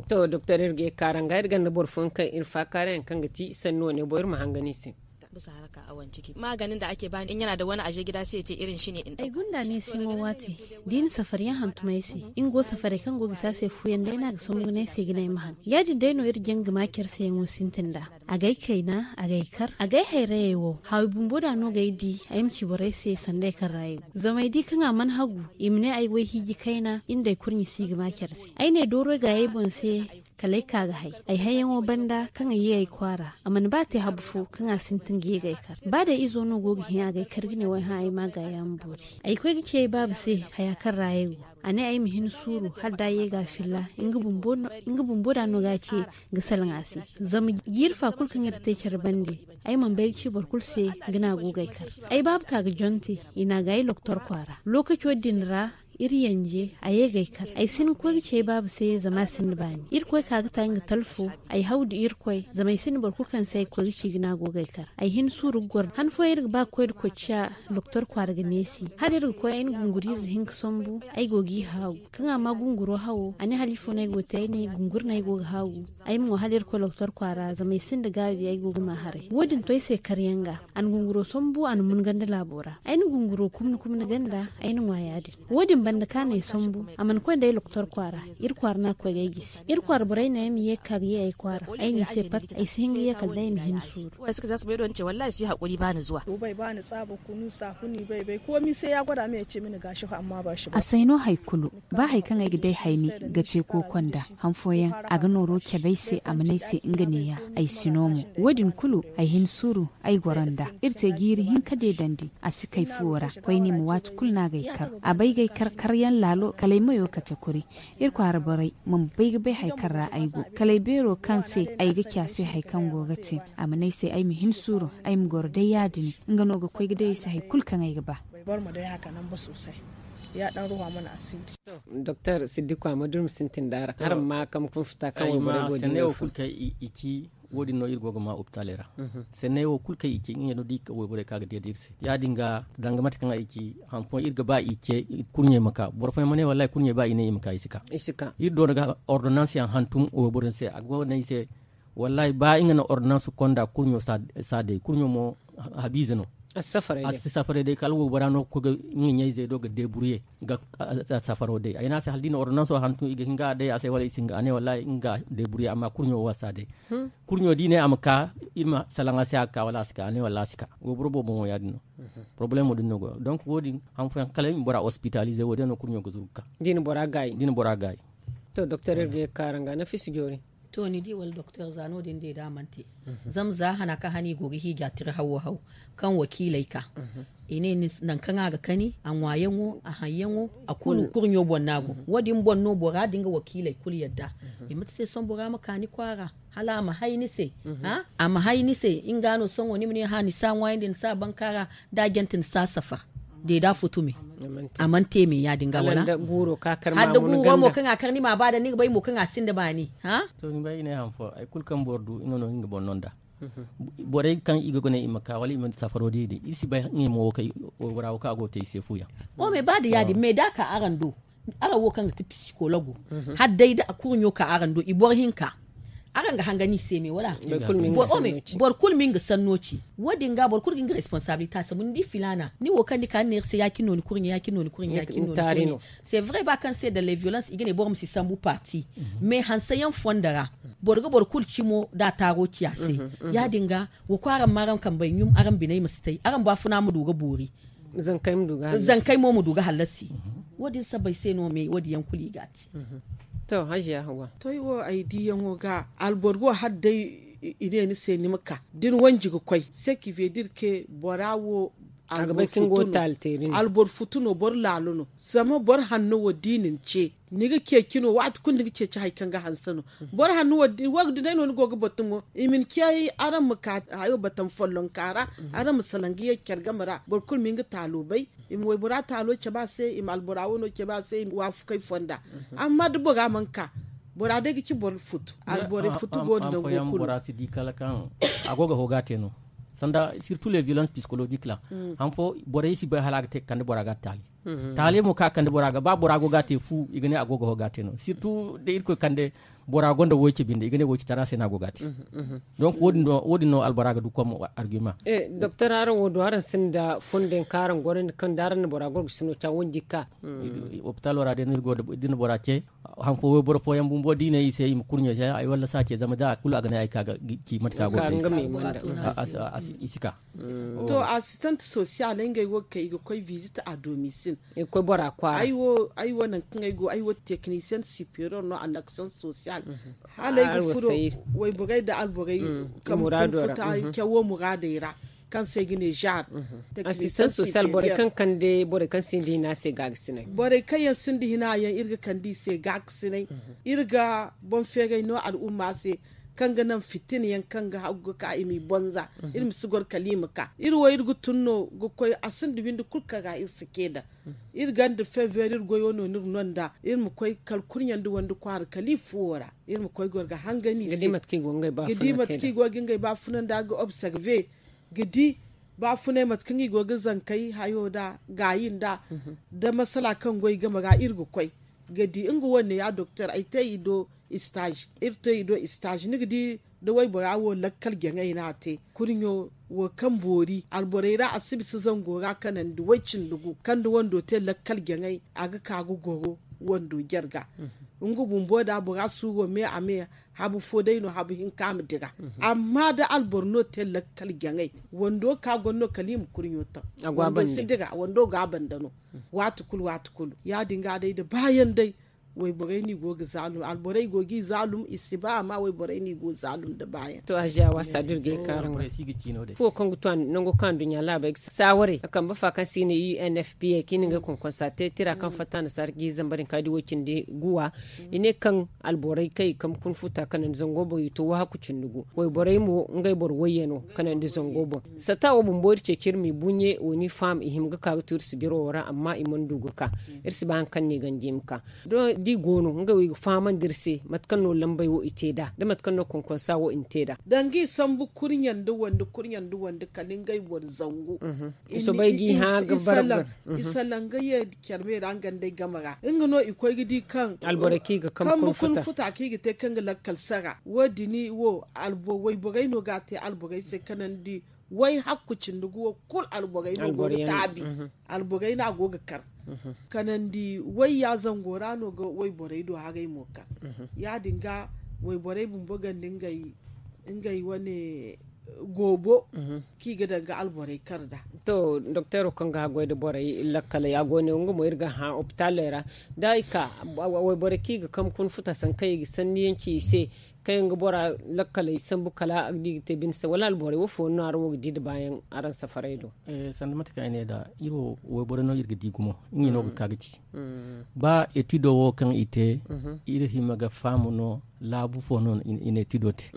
To doktor iri ga ye kaaranga iri ganda boro fooyaŋ kaŋ iri faakaarayaŋ kaŋ ga ti sanni wane boŋ iri ma hangan i se. Bisa haraka a wanciki maganin da ake bani in yana da wani aje gida sai ya ce irin shi ne in. Ay gunda ne sai mo wate da i na safaryaŋ hantum ay se. Nga go safaray kaŋ go ga si a se fuyaŋ day no a ga sambu ga ne ay se ga ne ay ma han ya- din day no iri jaŋ ga ma care se yaŋo sintin nd'a. A ga ay kayna a ga ay kar a ga ay hayrayey wo haawi bumbo da no ga ay di ay ma ci borey se sanda ay kaŋ ra ay go zama ay di kaŋ a mana hagu i ma ne ay go ay hiiji kayna iri nda ay kurɲe si ga ma care se ay ne dooro ay gaayey boŋ se. Kala ay ka ga hay ay hayyaŋo banda kaŋ ay ye ay kwaara a mana ba te habu fo kaŋ a sintin ga ye ga ay kar ba day izo no go ga hin a ga ay kar ga ne way hã ay ma a gaaya ma boori. Ay koy ga ci ay baaba se haya kaŋ ra ay go a ne ay ma hin suuru hala da a ye ga a filla. Nga bumbo da no ga a ce ga salaŋ a se. Zama jiiri fa kulu kaŋ iri te care bande ay mana bay ga ci boro kulu se ga ne a go ga ay kar. Ay baaba ka ga jonte i na a ga ay loktor kwaara lookaco din ra. Iri yanje a ye ga ay kar ay si hin ga koy ga ci ay baaba se zama a sinda baani irkoy ka ga ta nga talfo. Ay haw da irkoy zama ay sinda boro kulu kaŋ se ay ga koy ga ci ga ne a go ga ay kar ay hin suuru ga goro han fooyaŋ iri ga ba ga koy nda kocciya. Loktor kwaara ga neesi hala iri ga koy ay na gunguriize hinka sambu. Ay go g'i haagu kaŋ a ma gunguro hawo a ne hala ifo no ay go ga te ay ne gunguri no ay go ga haagu. Ay ma ŋwa hala iri koy loktor kwaara zama ay sinda gaabi ay go ga ma haray wo- din to ay se karyaŋ ga. A na gunguro sambu a na mun ganda laabo ra ay na gunguro kumni kumni ganda. Ay na ŋwa ya- din wo- din banda kaŋ a na ay sambu a mana koy nda ay loktor kwaara. Iri kwaara no a ga koy ga ay gisi iri kwaara borey no ay ma ye ga ka ga ye ay kwaara ay n'i se pat ay si hin ga ye kala day ay ma hin suuru. Wallahi su yi haƙuri ba ni zuwa. Bay ba ni tsaaba kunu saakuni bay bay komi sai ya gwada min ya ce mini gashi fa amma ba shi ba. A say no hari kulu ba hari kaŋ ay ga day hayni ga te kooko nda han fooyaŋ a ga nooro cabe ay se a mana ay se nga neeya. Ay si no mo wo- din kulu ay hin suuru. Ay goro nda iri te jiiri hinka deedandi a si kay fuwo ra koyne ma waati kulu no a ga ay kar a bay ga ay kar karyaŋ laalo kala ay mayo kate kuri. Iri kwaara borey ma ma bay ga bay hari kaŋ ra ay go kala ay beero kaŋ se ay ga ci a se hari kaŋ go ga te. A mana ay se ay ma hin suuru ay ma goro day ya- din nga no ga koy ga day ay se hari kulu kaŋ ay ga ba. Doktor siddiku a ma durmi sintin da araŋ araŋ ma kam kun futa kaŋ wayboro go din no fun. Wo- din no iri go ga ma opitaaley ra. Senney wo kulu kaŋ i ce ngey no da i ka wayborey kaŋ a ga deeda iri se ya- din ga danga mate kaŋ ay ci han fooyaŋ iri ga ba i ce kurɲey ma ka boro fooyaŋ ma ne wallahi kurɲey ba i ne i ma ka i si ka. Iri doona ga ordonansiyaŋ hantum wayboro se a go no ay se. Wallahi ba nga na ordonansi konda kurɲo si a day kurɲo mo habiize no. A si safaray day kala waybora no ga koy ga nga ɲayzey do ga deeburye ga safaro day ay ne a se hala da i na ordonanso hantum i ga hin ga a day a se wala i si hin ga a ne wallahi nga deeburye amma kurɲo wo a si a day. Kurɲo da i ne a ma ka iri ma salaŋ a se a ga ka wala a si ka a ne wallahi a si ka. Wayboro boobo mo ya- din no. Porobalemo din no go donc wo- din han fooyaŋ kala i ma bora ospitalize wo- din no kurɲo ga zuru ga ka. Da i na bora gaayi. To doktor iri ga ye ga kaara nga nafisa joori. To ni di wala doktor za no- din day da a mana te. Zama za hana kaŋ hana i go ga hiija tira hawo haw kaŋ wakiiley ka. I ne nangu kaŋ a ga kani a ŋwaayaŋo a haŋyaŋo a kulu kurɲo boŋ no a go wo- din boŋ no bora da nga wakiiley kulu yadda. I mate se sohõ bora ma ka ni kwaara hala a ma hay ni se. A ma hay ni se nga no sohõ ni ma ne hã ni si a ŋwaayandi ni si a bankaara da a jante ni si a safar. Deeda futu me a mana te me ya- din ga wala. Hala da guuro mo kaŋ a kar ni ma a ba daŋ ni ga bay mo kaŋ a sinda baani. To ni bay i ne han fo hari kulu kaŋ boro du nga no nga boŋ no nd'a. Borey kaŋ i ga gune i ma ka wala i ma safaro di din iri si bay ngey mo wo kaŋ waybora wo kaŋ a go ga te i se fu yaŋ. O me ba da ya- din me da a ka araŋ do araŋ wo kaŋ ga ti pisikologo hala day da a kurɲo ka araŋ do i boro hinka. Araŋ ga hanga ni se me wala? Boro kulu ma nga sanno ci. Wo- din ga boro kulu ga nga responsabilite a sambu ni di filaana ni wo kaŋ ni ka ni ne iri se ya- cine no ni kurɲe ya- cine no ni kurɲe ya- cine no ni kurɲe. C'est vrai ba kaŋ se da le violence i ga ne boro ma si sambu parti. Mais hanse yaŋ fondo ra boro ga boro kulu cimo da a taaro ci a se. Ya- din ga wo koy araŋ ma araŋ kambey ɲum araŋ biney ma si tay araŋ baafuna ma du ga boori. Zankey mo ma du ga hallasi. Wo- din sabbay se no me wo- din yaŋ kulu i ga a te. To hajiya hawa. To ay wo ay diiyaŋo ga alboro wo hala day i ne ni se ni ma ka da ni wanji ga koy se ki vedir ke bora wo alboro futu no boro laalo no. Zama boro hanno wo da i na ni ce ni ga ceeci no waati kulu ni ga ceeci hari kaŋ ga hanse no. Boro hanno wo da day no ni go ga batumo i ma ni ce ay araŋ ma ka hayo batan follonka ra. Araŋ ma salaŋ ga ye care game ra boro kulu ma nga taalo bay. I ma waybora taalo cabe a se i ma albora wano cabe a se i ma waafakay fonda. Amma da bora mana ka bora day ga ci boro futu alborey futu go da nango kulu. Bora si di kala kaŋ a go ga hooga te no sanda surtout les violences psychologiques la. Han fo borey si bay hala a ga te ga kande bora ga taali. Taali mo ka kande bora ga ba bora go ga te fu i ga ne a go ga hooga te no surtout da irkoy kande bora gonda woy ce binde i ga ne woy ce tara se no a go ga te. Donc wo- din no albora ga du kom argument. Doktor araŋ wo do araŋ sinda fondo yaŋ kaŋ araŋ gorandi kaŋ da araŋ na bora gorgo sino ca wanji ga ka. Hopitalo ra da ni bora ce han fo wayboro fooyaŋ bumbo da i ne i se i ma kurɲo se ay walla si a ce zama da kulu a ga ne ay ka ga ci mate kaŋ a go ga te i si ka. To assistant social ngey wo ga kay i ga koy visite a domisil. Ay wo nangu kaŋ ay go ay wo technicienne superior no en action sociale. Hala ay ga furo wayborey da alborey kambe kunfuta cawo muraadey ra kaŋ se ay ga ne genre assistant social borey kaŋ kande borey kaŋ sinda hina se gaagasinay. Borey kaŋ yaŋ sinda hina yaŋ iri ga kande i se gaagasinay. Iri ga boŋ feeray no al'umma se kaŋ ga naŋ fitina yaŋ kaŋ ga hagu ga ka i m'i bonza. Iri ma si goro kala i ma ka iri wo iri ga tun no ga koy a sinda windi kulu kaŋ ra iri si ce daŋ. Iri ganda feveer iri goyo no no iri no nd'a iri ma koy kala kurɲandi wandi kwaara kala i fuwo ra. Iri ma koy goro ga hangani se ga di mate kaŋ i go ga ngey baafuna nda ga observe ga di baafunay mate kaŋ i go ga zankey hayo nda gaayi nda da masala kaŋ goy game ra iri ga koy ga di nga wane ya doktor ay te i do stage iri te i do stage ni ga di da waybora wo lakkal jaŋay no a te kurɲo wo kaŋ boori alborey ra a si bisa zango ra kanandi way-cindi gu kaŋ da wando te lakkal jaŋay a ga ka ga goro wando jarga. Nga bumbo da bora suuro me a me habu fo day no habu hinka ma dira. Amma da alboro no te lakkal jaŋay wando ka goro no kala i ma kurɲo taŋ wando si dira wando ga a banda no. Waati kulu waati kulu ya- din ga day da baayaŋ day wayborey no i go ga zaalum alborey go ga i zaalum i si ba amma wayborey no i go ga zaalum nda baayaŋ. To hajiya waasa da iri ga ye kaaraŋ ga fuwo kaŋ ga tu nango kaŋ a nduɲɲa laabey ga saawarey a kambe fa kaŋ se i ne u n f p a kaŋ i na ngey konkonsa te tira kaŋ fatta nasaara ga i zamba din kaŋ a di way-cindi guwa. I ne kaŋ alborey kaŋ i kambe kuna futa kanandi zango boŋ i to wahakku cindi gu wayborey mo ngey boro wayyaŋo kanandi zango boŋ. Satta wo bumbo iri ceeci iri m'i buɲe wo ni faham i hima ga ka ga tu iri sijiro wo ra amma i mana du ga ka. Iri si ba hari kaŋ no i ganji i ma ka da i go no ngey wo i ga fahamandi iri se mate kaŋ no lambey wo i te nd'a da mate kaŋ no konkonsa wo i na te nd'a. Danga i sambu kurɲe nda wande kurɲe nda wande kala ngey boro zangu. I soobay ga i hã ga barbar. I salaŋ ga ye care me ra nga nd'ey game ra nga no i koy ga di kaŋ alborey kaŋ i ga kambe kuna futa kaŋ i ga te kaŋ ga lakkal sara wo- din wo wayborey no ga a te alborey se kanandi way hakku cindi go kulu alborey no go ga taabi. Alborey no a go ga kar kanandi wayya zango ra no ga wayborey do haray mo kar. Ya- din ga wayborey bumbo ganda ngey wane goobo kaŋ i ga daŋ ga alborey kar nd'a. To dokteero kaŋ ga haggoy nda borey lakkaley a go ne nga mo iri ga hã opitaaley ra da i ka wayborey kaŋ i ga kambe kuna futa sankaŋ i ga sanniyaŋ ci i se kaŋ yaŋ ga bora lakkaley sambu kala a ga di ga te bine se wala alborey wo fooyaŋ no araŋ wo ga di nda baayaŋ araŋ safarey do? Sanda mate kaŋ ay ne nd'a iri wo wayborey no iri ga di gumo ngey no ga ka ga ci. Ba etido wo kaŋ i te iri hima ga faham no laabu fo no i na etido te.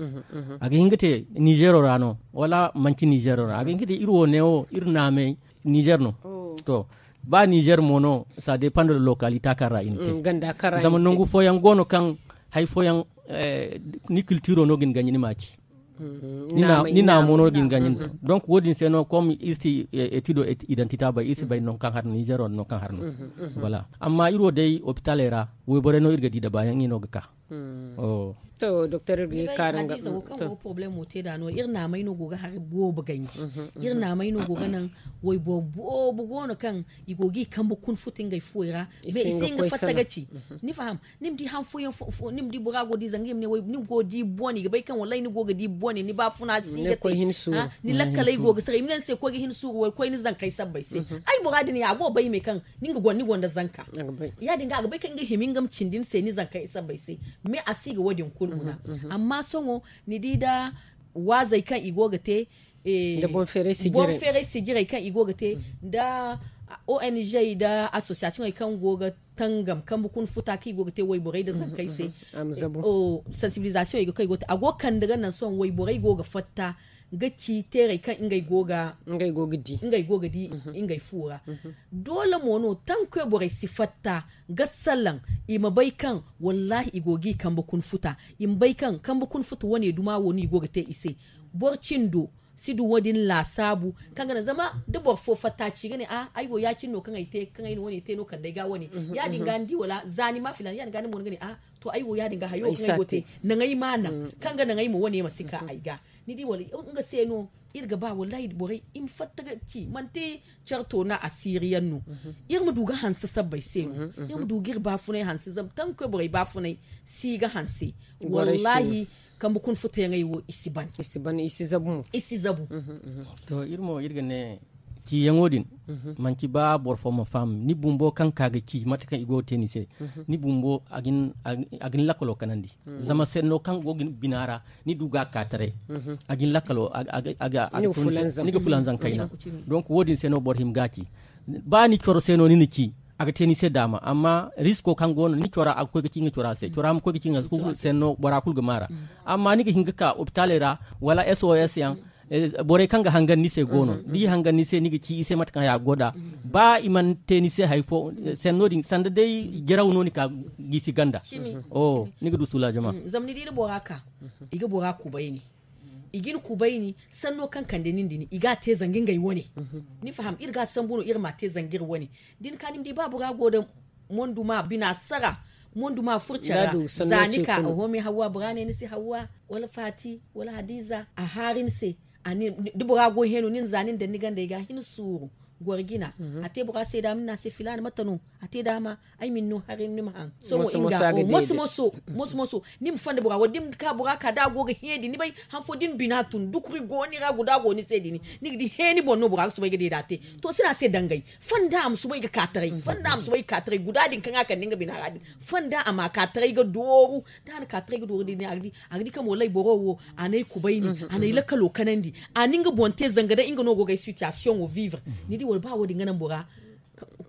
A ga hin ga te nizeero ra no wala manci nizeero ra a ga hin ga te iri wo neewo iri naamey nizeer no. To ba nizeer mo no ça dépend de localité kaŋ ra i na te. Zama nangu fooyaŋ go no kaŋ hari fooyaŋ ni kiltiiro no ga ni ganji ni ma ci. Ni naamo no ga ni ganji ni to donc wo- din se no comme iri si etido identité bay iri si bay nangu kaŋ har no nizeero nangu kaŋ har no. Voilà amma iri wo day opitaaley ra wayborey no iri ga di nda baayaŋ i no ga ka. Doktor, iri ga ye ga kaara nga. Hadiza wo kaŋ go ga porobalemo te nd'a no, iri naamey no go ga hari boobo ganji. Iri naamey no go ga naŋ wayboro boobo go no kaŋ i go ga i kambe kuna futa ngey fuwey ra. Mais i si hin ga fatta ga ci. Ni faham? Ni ma di han fooyaŋ fo ni ma di bora go ga di zanga i ma ne way ni go ga di bone i ga bay kaŋ wallahi ni go ga di bone ni baafuna si ga te. Ni lakkaley go ga sara i ma ne ni se koy ga hin suuru wala koy ni zankey sabbay se. Ay bora din ya a go ga bay me kaŋ ni ga goro ni gonda zanka. Ya- din ga a ga bay kaŋ nga hima nga ma cindi ni se ni zankey sabbay se. Mais a si ga wo- din kulu guna. Amma sohõ ni di nda waazey kaŋ i go ga te nda boŋ feeray sijirey kaŋ i go ga te nda ong nda asosiyasiyoŋey kaŋ go ga tangam kambe kuna futa kaŋ i go ga te wayborey nda zankey se. Sansibilizasiyoŋey ga kaŋ i go ga te a go ga kande ga naŋ sohõ wayborey go ga fatta ga ci teerey kaŋ ngey go ga di ngey fu ra. Doole mo no tankoy borey si fatta ga salaŋ i ma bay kaŋ wallahi i go ga i kambe kuna futa i ma bay kaŋ kambe kuna futa wane duma wo no i go ga te i se. Boro cindo si du wo- din laasaabu kaŋ ga naŋ zama da boro fo fatta ci ga ne a ay wo ya- cine no kaŋ ay te kaŋ ay na wane te no kala day ga wane. Ya- din ga ni di wala za ni ma filaana ya- din ga ni mo ni ga ne a to ay wo ya- din ga hayo kaŋ ay go ga te naŋ ay ma naŋ kaŋ ga naŋ ay ma wane ma si ka ay ga. Ni di wala nga se no iri ga ba wallahi borey i ma fatta ga ci manti care toona asiiri yaŋ no. Iri ma du ga hanse sabbay se no iri ma du ga iri baafunay hanse zama tankoy borey baafunay si ga hanse. Wallahi kambe kuna futa yaŋey wo i si ban i si zabu. To iri mo iri ga ne ciyaŋo din manti ba boro fo ma faham ni bumbo kaŋ ka ga ci mate kaŋ i go ga te ni se. Ni bumbo a ga ni lakkalo kanandi zama senno kaŋ go ga ni bina ra ni du ga a ka taray. A ga ni lakkalo a ga ni ga fulanzam kayna. Donc wo- din se no boro hima ga a ci ba ni coro se no ni na ci a ga te ni se daama amma risko kaŋ go no ni cora a ga koy ga ci nga cora se cora ma koy ga ci nga se bora kulu ga maara. Amma ni ga hin ga ka opitaaley ra wala sos yaŋ borey kaŋ ga hangan ni se go no da i hangan ni se ni ga ci i se mate kaŋ haya go nd'a. Ba i mana te ni se hari fo senno din sanda day jaraw no ni ka gisi ganda. Ni ga du suula jama. Zama ni di da bora ka i ga bora kubayni i ga ni kubayni sanno kaŋ kande nin din i ga a te zanga ngey wane. Ni faham iri ga a sambu no iri ma a te zanga iri wane. Da ni ka ni ma di ba bora go nda monduma bina sara monduma furca ra za ni ka oho me hawwa bora ne ni se hawwa wala faati wala hadiza a haari ni se. Da bora go heno ni na za ni na daŋ ni gandey ga hin suuru goro jina. A te bora se daama ni ne a se filaana mate no a te daama ay ma ni no haray ni ma haŋ. Sohõ nga moso moso moso moso ni ma fonda bora wala da ni ma ka bora ka da a go ga hẽ din ni bay han fo da ni bina tun dukuri go ni ra guda go ni se din ni ga di hẽ ni boŋ no bora ga soobay ga deeda te. To si no a se dangay fonda a ma soobay ga ka taray fonda a ma soobay ga ka taray guda din kaŋ a kande nga bina ra din fonda a ma ka taray ga dooru. Da a na ka taray ga dooru din a ga di kaŋ wallay boro wo a n'ay kubayni a n'ay lakkalo kanandi a na nga boŋ te zanga day nga no go ga ay sitiyasiyoŋo vivre. Ni di wala ba wo- din ga naŋ bora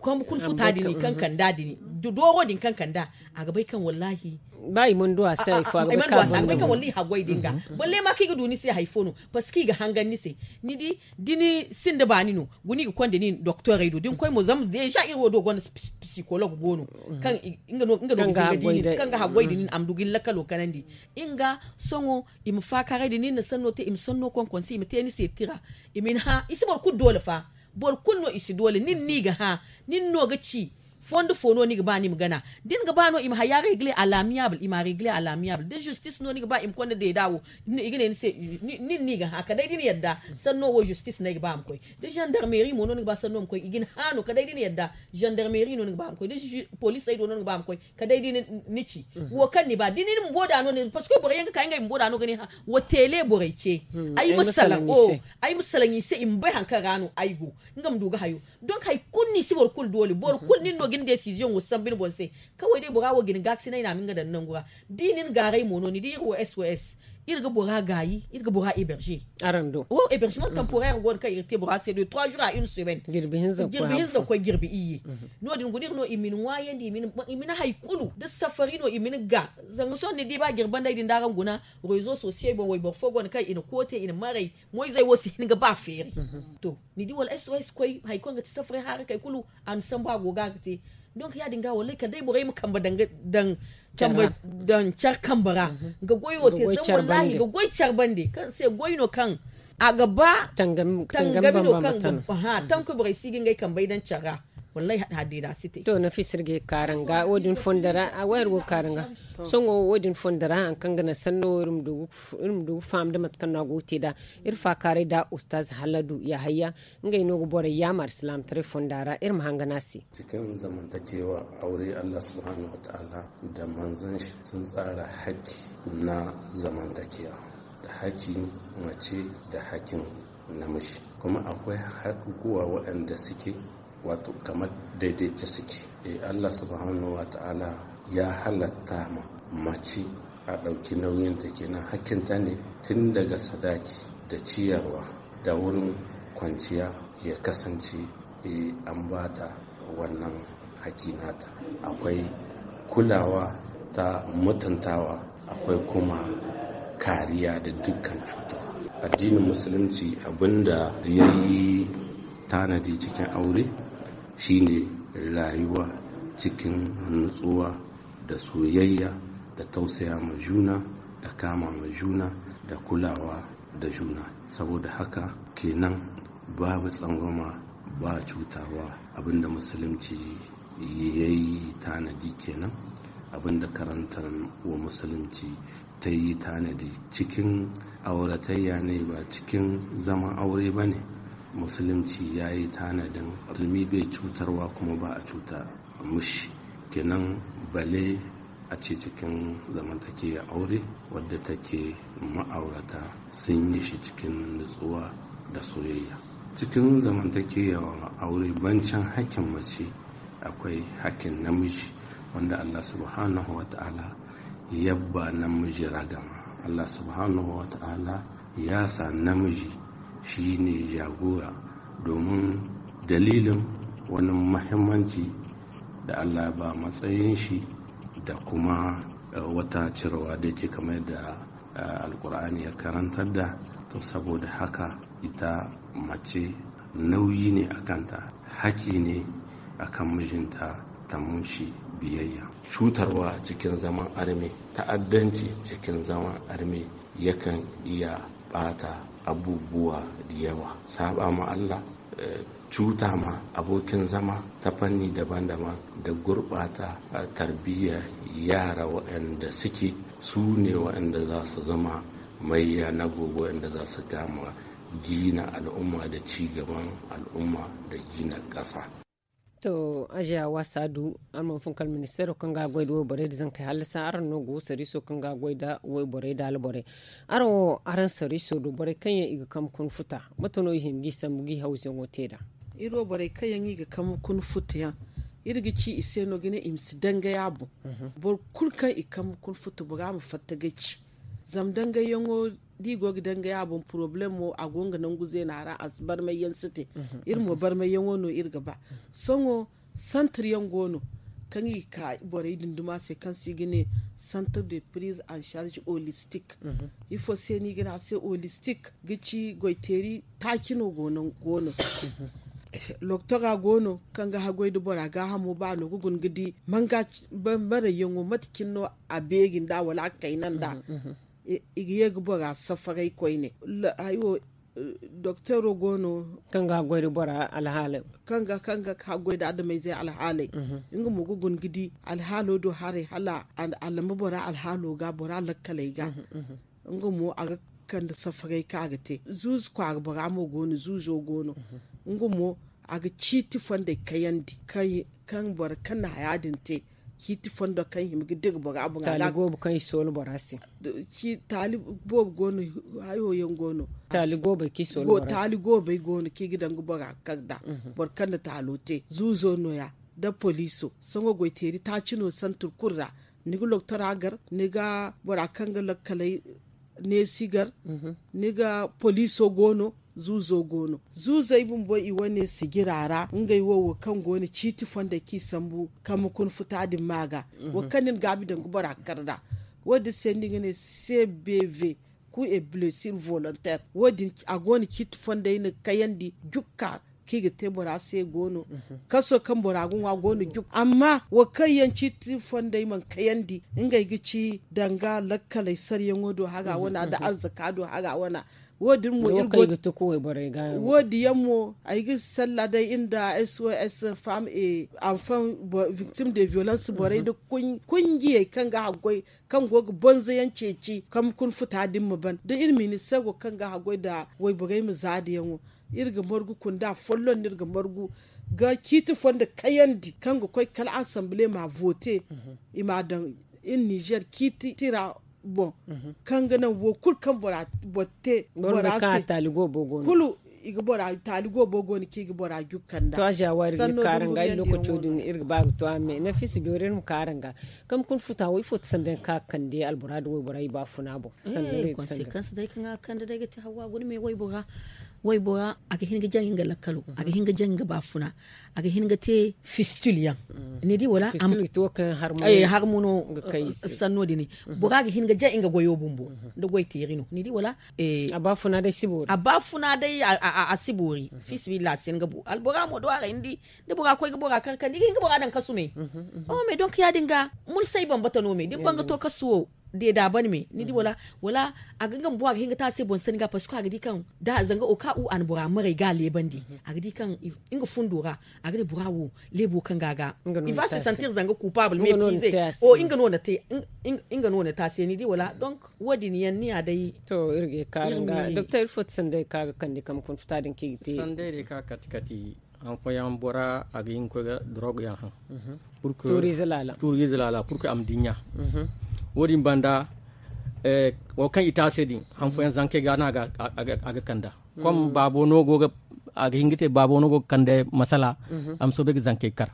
kambe kuna futa din kaŋ kanda din dooro din kaŋ kanda a ga bay kaŋ wallahi ba i mana du a se hari fo a ga bay kaŋ wallahi haggoy din ga balle ma kaŋ i ga du ni se hari fo no. Parce que i ga hangan ni se ni di da ni sinda baani no guna i ga konda nin doktorey do da ni koy mo zama deja iri wo do gonda psikolog go no kaŋ nga no nga no ga haggoy da nin a ma du ga ni lakkalo kanandi. Nga sohõ i ma faakaaray da nin na sanno te i ma sanno konkonse i ma te ni se tira i ma ni hã i si boro kulu doole fa. Boro kulu no i si doole nin no i ga hã nin no ga ci fondo fo no ni ga ba ni ma gana da ni ga ba no i ma haya regle a lamiyabul i ma a regle a lamiyabul da zistis no ni ga ba i ma konda deeda wo i ga ne ni se nin no i ga hã kala day da ni yadda sanno wo zistis no ay ga ba a ma koy da zandarmeri mo no ni ga ba sanno ma koy i ga ni hã no kala day da ni yadda zandarmeri no ni ga ba a ma koy da polisey do no ni ga ba a ma koy kala day da ni ci wo kaŋ ni ba da ni bumbo da no ne parceque boro yaŋ ga ka ngey bumbo da no ga ne hã wo tele borey ce ay ma salaŋ o ay ma salaŋ i se i ma bay hari kaŋ ra no ay go nga ma du ga hayo. Donc hari kulu no i si boro kulu doole boro kulu nin no ga ni desiziyoŋo sambu ni boŋ se kaway day bora wo ga ni gaakasinay no a ma nga daŋ nangu ra da i na ni gaaray mo no ni di iri wo sos iri ga bora gaayi iri ga bora héberger. Araŋ do wo hébergement temporaire go no kaŋ iri ga te bora se de trois jours à une semaine jirbi hinza ga koy jirbi iyye. No- din guna iri no i ma ni ŋwaayandi i ma ni hari kulu da safari no i ma ni ga zanga sohõ ni di ba jirbandey din da araŋ guna réseaux sociaux boŋ wayboro fo go no kaŋ i na koote i na maray moyzey wo si hin ga ba feeri. To ni di wala sos koy hari kaŋ ga ti safaray haarakey kulu a na sambu a go ga ga te. Donc ya- din ga wallay kala day borey ma kambe daŋ care kambe ra ga goyo te zama wallahi ga goy care bande kaŋ se goy no kaŋ a ga ba tangami no kaŋ ga ba tankoy borey si ga ngey kambey daŋ care ra. Wallaahi haɗa haddi da si te. To na fisir ga kaaranga wo- din fondo ra a wayar go kaaranga. Sohõ wo- din fondo ra haŋ kaŋ ga naŋ sanno wo iri ma du ga faham da mate kaŋ no a go ga te nd'a. Iri faakaaray da ustaz haladu yahayya, ngey no ga borey yaamar silaamataray fonda ra iri ma hangan a se. Cikin zamantakewa aure, allah subhanahu wa ta'ala da manzon shi sun tsara haƙƙi na zamantakewa, da haƙƙin mace da haƙƙin namiji. Kuma akwai haƙuƙuwa waɗanda suke wato kamar daidaice suke. Eh, allah subhanahu wa ta'ala ya halatta ma mace a ɗauki nauyinta, kenan hakkinta ne tun daga sadaki da ciyarwa da wurin kwanciya ya kasance, eh, an bata wannan haƙƙi nata. Akwai kulawa ta mutuntawa, akwai kuma kariya da dukkan cuta. Addinin musulunci abinda ya yi tanadi cikin aure shine rayuwa cikin nutsuwa da soyayya da tausaya ma juna da kama ma juna da kulawa da juna. Saboda haka kenan babu tsangwama, ba cutarwa. Abinda musulunci ya yi tanadi kenan, abinda karantar wa musulunci ta yi tanadi cikin auratayya ne, ba cikin zaman aure ba ne. Musulunci ya yi tanadin musulmi bai cutarwa kuma ba a cuta mushi. Kenan bale a ce cikin zamantakewar aure wadda take ma'aurata sun yi shi cikin nutsuwa da soyayya. Cikin zamantakewar aure, bancin hakkin mace akwai hakkin namiji, wanda allah subhanahu wa ta'ala yabba namiji ragama. Allah subhanahu wa ta'ala ya sa namiji shi ne jagora domin dalilin wani muhimmanci da Allah ya ba matsayin shi da kuma, eh, wata cirewa da yake kamar da, eh, Alkur'ani ya karantar da. To, saboda haka ita mace nauyi ne a kanta, haƙi ne a kan mijinta ta mushi biyayya. Cutarwa cikin zaman arme, ta'addanci cikin zaman arme yakan iya ɓata abubuwa da yawa. Saɓa ma Allah, eh, cuta ma abokin zama ta fanni daban-daban da gurɓata, eh, tarbiyyar yara waɗanda suke su ne waɗanda za su zama maiya na gobe, waɗanda za su kama gina al'umma da ci gaban al'umma da gina ƙasa. To, ajiya wasa du, araŋ mana fun kala ministeero kaŋ ga goy da wayborey da zankey hallasa, araŋ no go sariiso kaŋ ga goy da wayborey da alborey. Araŋ wo, araŋ sariiso do borey kaŋ yaŋ i ga kambe kuna futa, mate no i hima g'i sambu g'i hawzuyaŋo te nd'a? Iri wo borey kaŋ yaŋ i ga kambe kuna futa yaŋ, iri ga ci i se no ga ne i ma si dangay a boŋ. Boro kulu kaŋ i kambe kuna futa bora ma fatta ga ci. Zama dangayyaŋo da i go ga dangay a boŋ, poroblemo a go nga nangu zeena ra, a si barmay yaŋ si te. Iri mo barmay yaŋo no iri ga ba. Sohõ santir yaŋ go no kaŋ i ga ka borey dunduma se kaŋ se i ga ne centre de prise en charge holistique. Ifo se no i ga ne a se holistique? Ga ci goyteeri taaci no go no. Loktora go no kaŋ ga haggoy da bora gaahamo ba no ga guna ga di manga barayyaŋo mate cine no a beeri nd'a wala a kayna nd'a. I ga ye ga bora safaray koyne. Hayo, doktoro go no kaŋ ga haggoy da bora alhaaley, kaŋ ga kaŋ ga haggoy da adamayzey alhaaley. Nga mo ga guna ga di alhaalo do haray hala a lamba bora alhaalo ga bora lakkaley ga. Nga mo a ga kande safaray kaŋ a ga te zuuzu kwaara bora mo go no zuuzo go no. Nga mo a ga ciiti fondey kayandi kaŋ boro kaŋ na haya din te. Ciiti fondo kaŋ hima ga dira bora boŋ taali goobo kaŋ i soola bora se. Taali boobo go no. Hayo yaŋ go no. Taali goobey kaŋ i soola bora se. Taali goobey go no kaŋ i ga daŋ ga bora kar nd'a. Boro kaŋ na taalo te zuuzo no- ya nda poliiso. Sohõ goyteeri taaci no santir kulu ra. Ni ga loktora gar, ni ga bora kaŋ ga lakkaley neesi gar. Ni ga poliiso go no. Zuuzo go no. Zuuzey bumbo i wane sijira ra ngey wo wo kaŋ go no ciiti fondey kaŋ i sambu kambe kuna futa din ma ga. Wo kaŋ ni na gaabi daŋ ga bora kar nd'a. Wo- din se no i ga ne cbv. Ku e blessure volontaire wo- din a go no ciiti fondey na kayandi jukka kaŋ i ga te bora se go no. Kaso kaŋ bora ga ŋwa go no jukka amma wo kaŋ yaŋ ciiti fondey mana kayandi ngey ga ci danga lakkaley saryaŋo do haga wana nda arzaka do haga wana. Wo- din mo iri go- wo- din yaŋ mo ay ga salla day iri nda s o s femme et enfant victime de violence borey nda kunjiyey kaŋ ga haggoy kaŋ go ga bonza yaŋ ceeci kaŋ kuna futa din ma ban da iri ministeero kaŋ ga haggoy nda wayborey ma zaada yaŋo. Iri ga margu kunda folloŋ no iri ga margu ga ciiti fo nda kayandi kaŋ ga koy kala assemblee ma vote i ma a daŋ iri nizer ciiti ra. Boŋ kaŋ ga naŋ wo kulu kaŋ bora te bora se kulu i ga bora taali go bo go no kaŋ i ga bora jukka nda. Sanno din ga iri lokaco din iri ga ba ga to a me nafisa joori iri ma kaara nga kaŋ ma kuna futa wo ifo ti sanda yaŋ kaŋ a ga kande albora nda waybora i ba funa boŋ. Sanno day ga ti sanda yaŋ kaŋ a ga kande day ga ti hawa guna me waybora. Waybora a ga hin ga jaŋ nga lakkalo a ga hin ga jaŋ nga ba funa a ga hin ga te fistil yaŋ. Ni di wala? Harmu no sanno din bora ga hin ga jaŋ nga goyo bumbo nda goy teeri no ni di wala? A ba funa day a si boori. Fisabilillahi a si hin ga bu albora mo do a ra ni di da bora koy ga bora kar kar ni ga hin ga bora daŋ kasu me. Oh me donk ya- din ga mulsay bambata no me da ni ban ga to kasu wo deeda ban me ni di wala? Wala a ga nga ma boŋ a ga hin ga te a se boŋ sanni ga parce que a ga di kaŋ da zanga o ka u a na bora maray ga a leebandi a ga di kaŋ nga fundo ra a ga ne bora wo leebo kaŋ ga a ga i va se santir zanga coupable me pize o nga no na te a se ni di wala? Donk wo- din yaŋ ni ya day. To iri ga ye kaara nga doktor iri fo ti sanday kaŋ a ga kande kaŋ ma kuna futa din kaŋ i ga te sanday day kaŋ a kati kati. Haŋ fooyaŋ bora a ga hin ga koy ga dorog yaŋ haŋ tuuriize laala purke a ma dinya. Wo- din banda wo kaŋ i te a se din haŋ fooyaŋ zankey ga no a ga kanda. Kom baabo no go ga a ga hin ga te baabo no go ga kande masala a ma soobay ga zankey kar.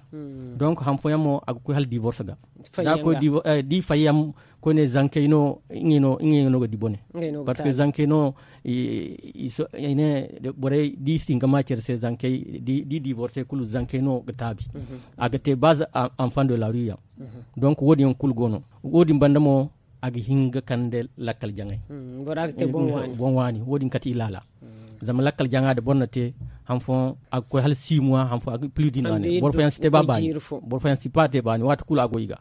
Donk haŋ fooyaŋ mo a ga koy hala divorce ga da a koy di fayyaŋ koyne zankey no ngey no ga di bone. Parce que zankey no i ne borey da i si hin ga ma care se zankey da i divorce kulu zankey no ga taabi. A ga te base enfant de la rue yaŋ. Donc wo- din yaŋ kulu go no wo- din banda mo a ga hin ga kande lakkal jaŋay. Boŋ waani wo- din kate i laala. Zama lakkal jaŋa da boro na te haŋ fooyaŋ a ga koy hala six mois haŋ fooyaŋ a ga plus d'une année boro fooyaŋ si te ba baani. Boro fooyaŋ si ba te baani waati kulu a go i ga.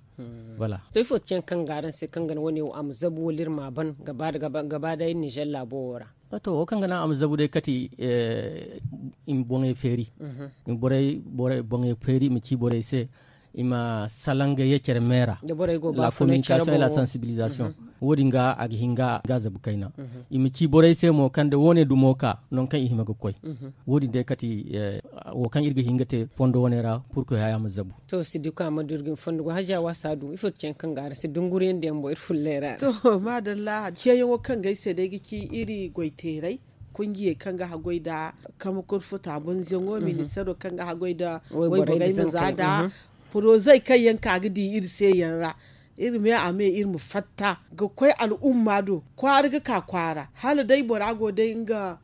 Voilà. To ifo ti yaŋ kaŋ ga araŋ se kaŋ ga naŋ wane wo a ma zabu wala iri ma a ban gaba da iri nizer laabo wo ra? To wo kaŋ ga naŋ a ma zabu day kati i ma boŋey feeri. I ma boŋey feeri i ma ci borey se i ma salaŋ ga ye care me ra. La communication et la sensibilisation. Wo- din ga a ga hin ga zabu kayna. I ma ci borey se mo kaŋ da wo- ne dumo ka nangu kaŋ i hima ga koy. Wo- din day kati wo kaŋ iri ga hin ga te fondo wane ra purkoy haya ma zabu. To si di ko a ma du iri ga ni fondo go haziya waasa du ifo ti ce yaŋ kaŋ ga araŋ se dunguriyaŋ da yaŋ boŋ iri fulley ra. To maadalla ceeyaŋo kaŋ ga ay se day ga ci iri goyteeray kunjiyey kaŋ ga haggoy nda kama kurfuta bonzayaŋo ministeero kaŋ ga haggoy nda wayborey ma za nda porozey kaŋ yaŋ ka ga di iri se yaŋ ra. Iri me a me iri ma fatta ga koy al'umma do kwaara ga ka kwaara hala day bora go day nga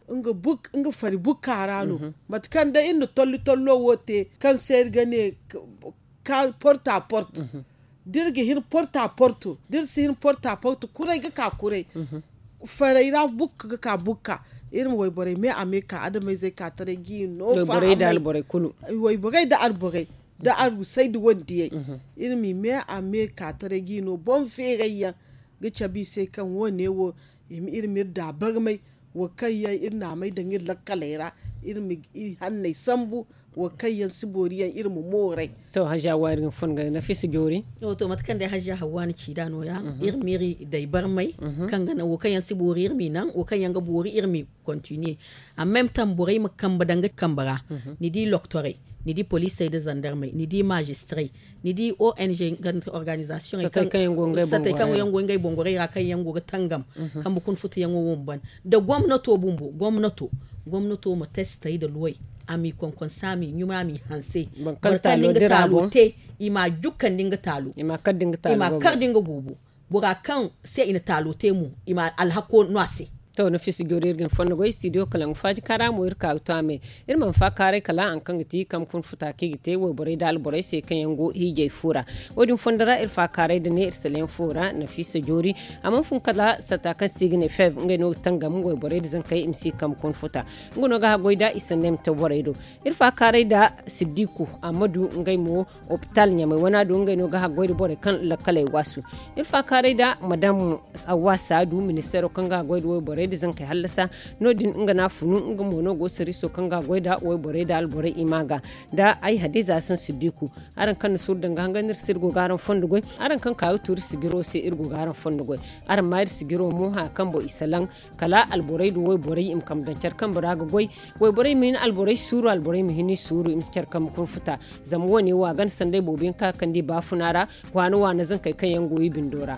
fari bukka ra no. Mate kaŋ day iri na tolli tollo wo te kaŋ se iri ga ne porta porto da iri ga hin porta porto da iri si hin porta porto kuray ga ka kuray. Farey ra bukka ga ka bukka iri ma wayborey me a me ka adamayzey ka taray ga i no. Wayborey da alborey da arusay da wandiyey iri ma i me a me ka taray ga i no boŋ feeray yaŋ ga cabe i se kaŋ wo- ne wo iri ma iri da barmay wo kaŋ yaŋ iri na a may daŋ iri lakkaley ra iri ma i hanney sambu wo kaŋ yaŋ si boori yaŋ iri ma mooray. To haziya waari ga ni fun ga nafisa joori. To mate kaŋ day haziya hawwa ni ci nd'a no- ya iri ma iri day barmay kaŋ ga naŋ wo kaŋ yaŋ si boori iri ma i naŋ wo kaŋ yaŋ ga boori iri ma i continue. Amma m taŋ borey ma kambe daŋ ga kambe ra ni di loktorey, ni di poliisey nda zandarmey, ni di mazistiray, ni di ong organizasiyoŋey kaŋ yaŋ go ngey boŋ gorey ra kaŋ yaŋ go ga tangam kambe kuna futuyaŋo wo ma ban nda gomnato bumbo gomnato ma testey nda luwey a m'i konkonse a m'i ɲumay a m'i hanse. Boro kaŋ da nga taalo te i m'a jukkandi nga taalo i m'a kar da nga boobo. Bora kaŋ se i na taalo te mo i ma alhako no a se. To nafisa joori iri ga ni fondo goy studio kala nga faaji kaara mo iri ka ga to a me. Iri mana faakaaray kala hari kaŋ ga ti kambe kuna futa kaŋ i ga te wayborey nda alborey se kaŋ yaŋ go hiijay fo ra. Wo- din fondo ra iri faakaaray nda ne iri salayaŋ fo ra nafisa joori a mana fun kala satta kaŋ se i ga ne fev ngey no ga tangam wayborey nda zankey i ma si kambe kuna futa. Nga no ga haggoy nda i sanney ma to borey do. Iri faakaaray nda siddiku ammadu ngey mo opital ɲamay wana do ngey no ga haggoy nda borey kaŋ lakkaley waasu. Iri faakaaray nda madam awwa saadu ministeero kaŋ ga haggoy nda wayborey Borey da zankey hallasa. No- din nga no a funu nga mo no go sariiso kaŋ ga a goy nda wayborey nda alborey i ma ga nda ay hadiza hasan siddiku. Araŋ kaŋ na suuru danga hangan iri si iri go ga araŋ fondo goy. Araŋ kaŋ ka ga tuuri sijiro se iri go ga araŋ fondo goy. Araŋ ma iri sijiro mo haya kaŋ boŋ i salaŋ kala alborey nda wayborey i ma kambe daŋ care kambe ra ga goy. Wayborey ma hin alborey suuru alborey ma hin i suuru i ma si care kambe kunfuta. Zama wo- ne wo a ganda sanday boobo yaŋ kaŋ a kande i baafuna ra waana waana zankey kaŋ yaŋ go i bindo ra.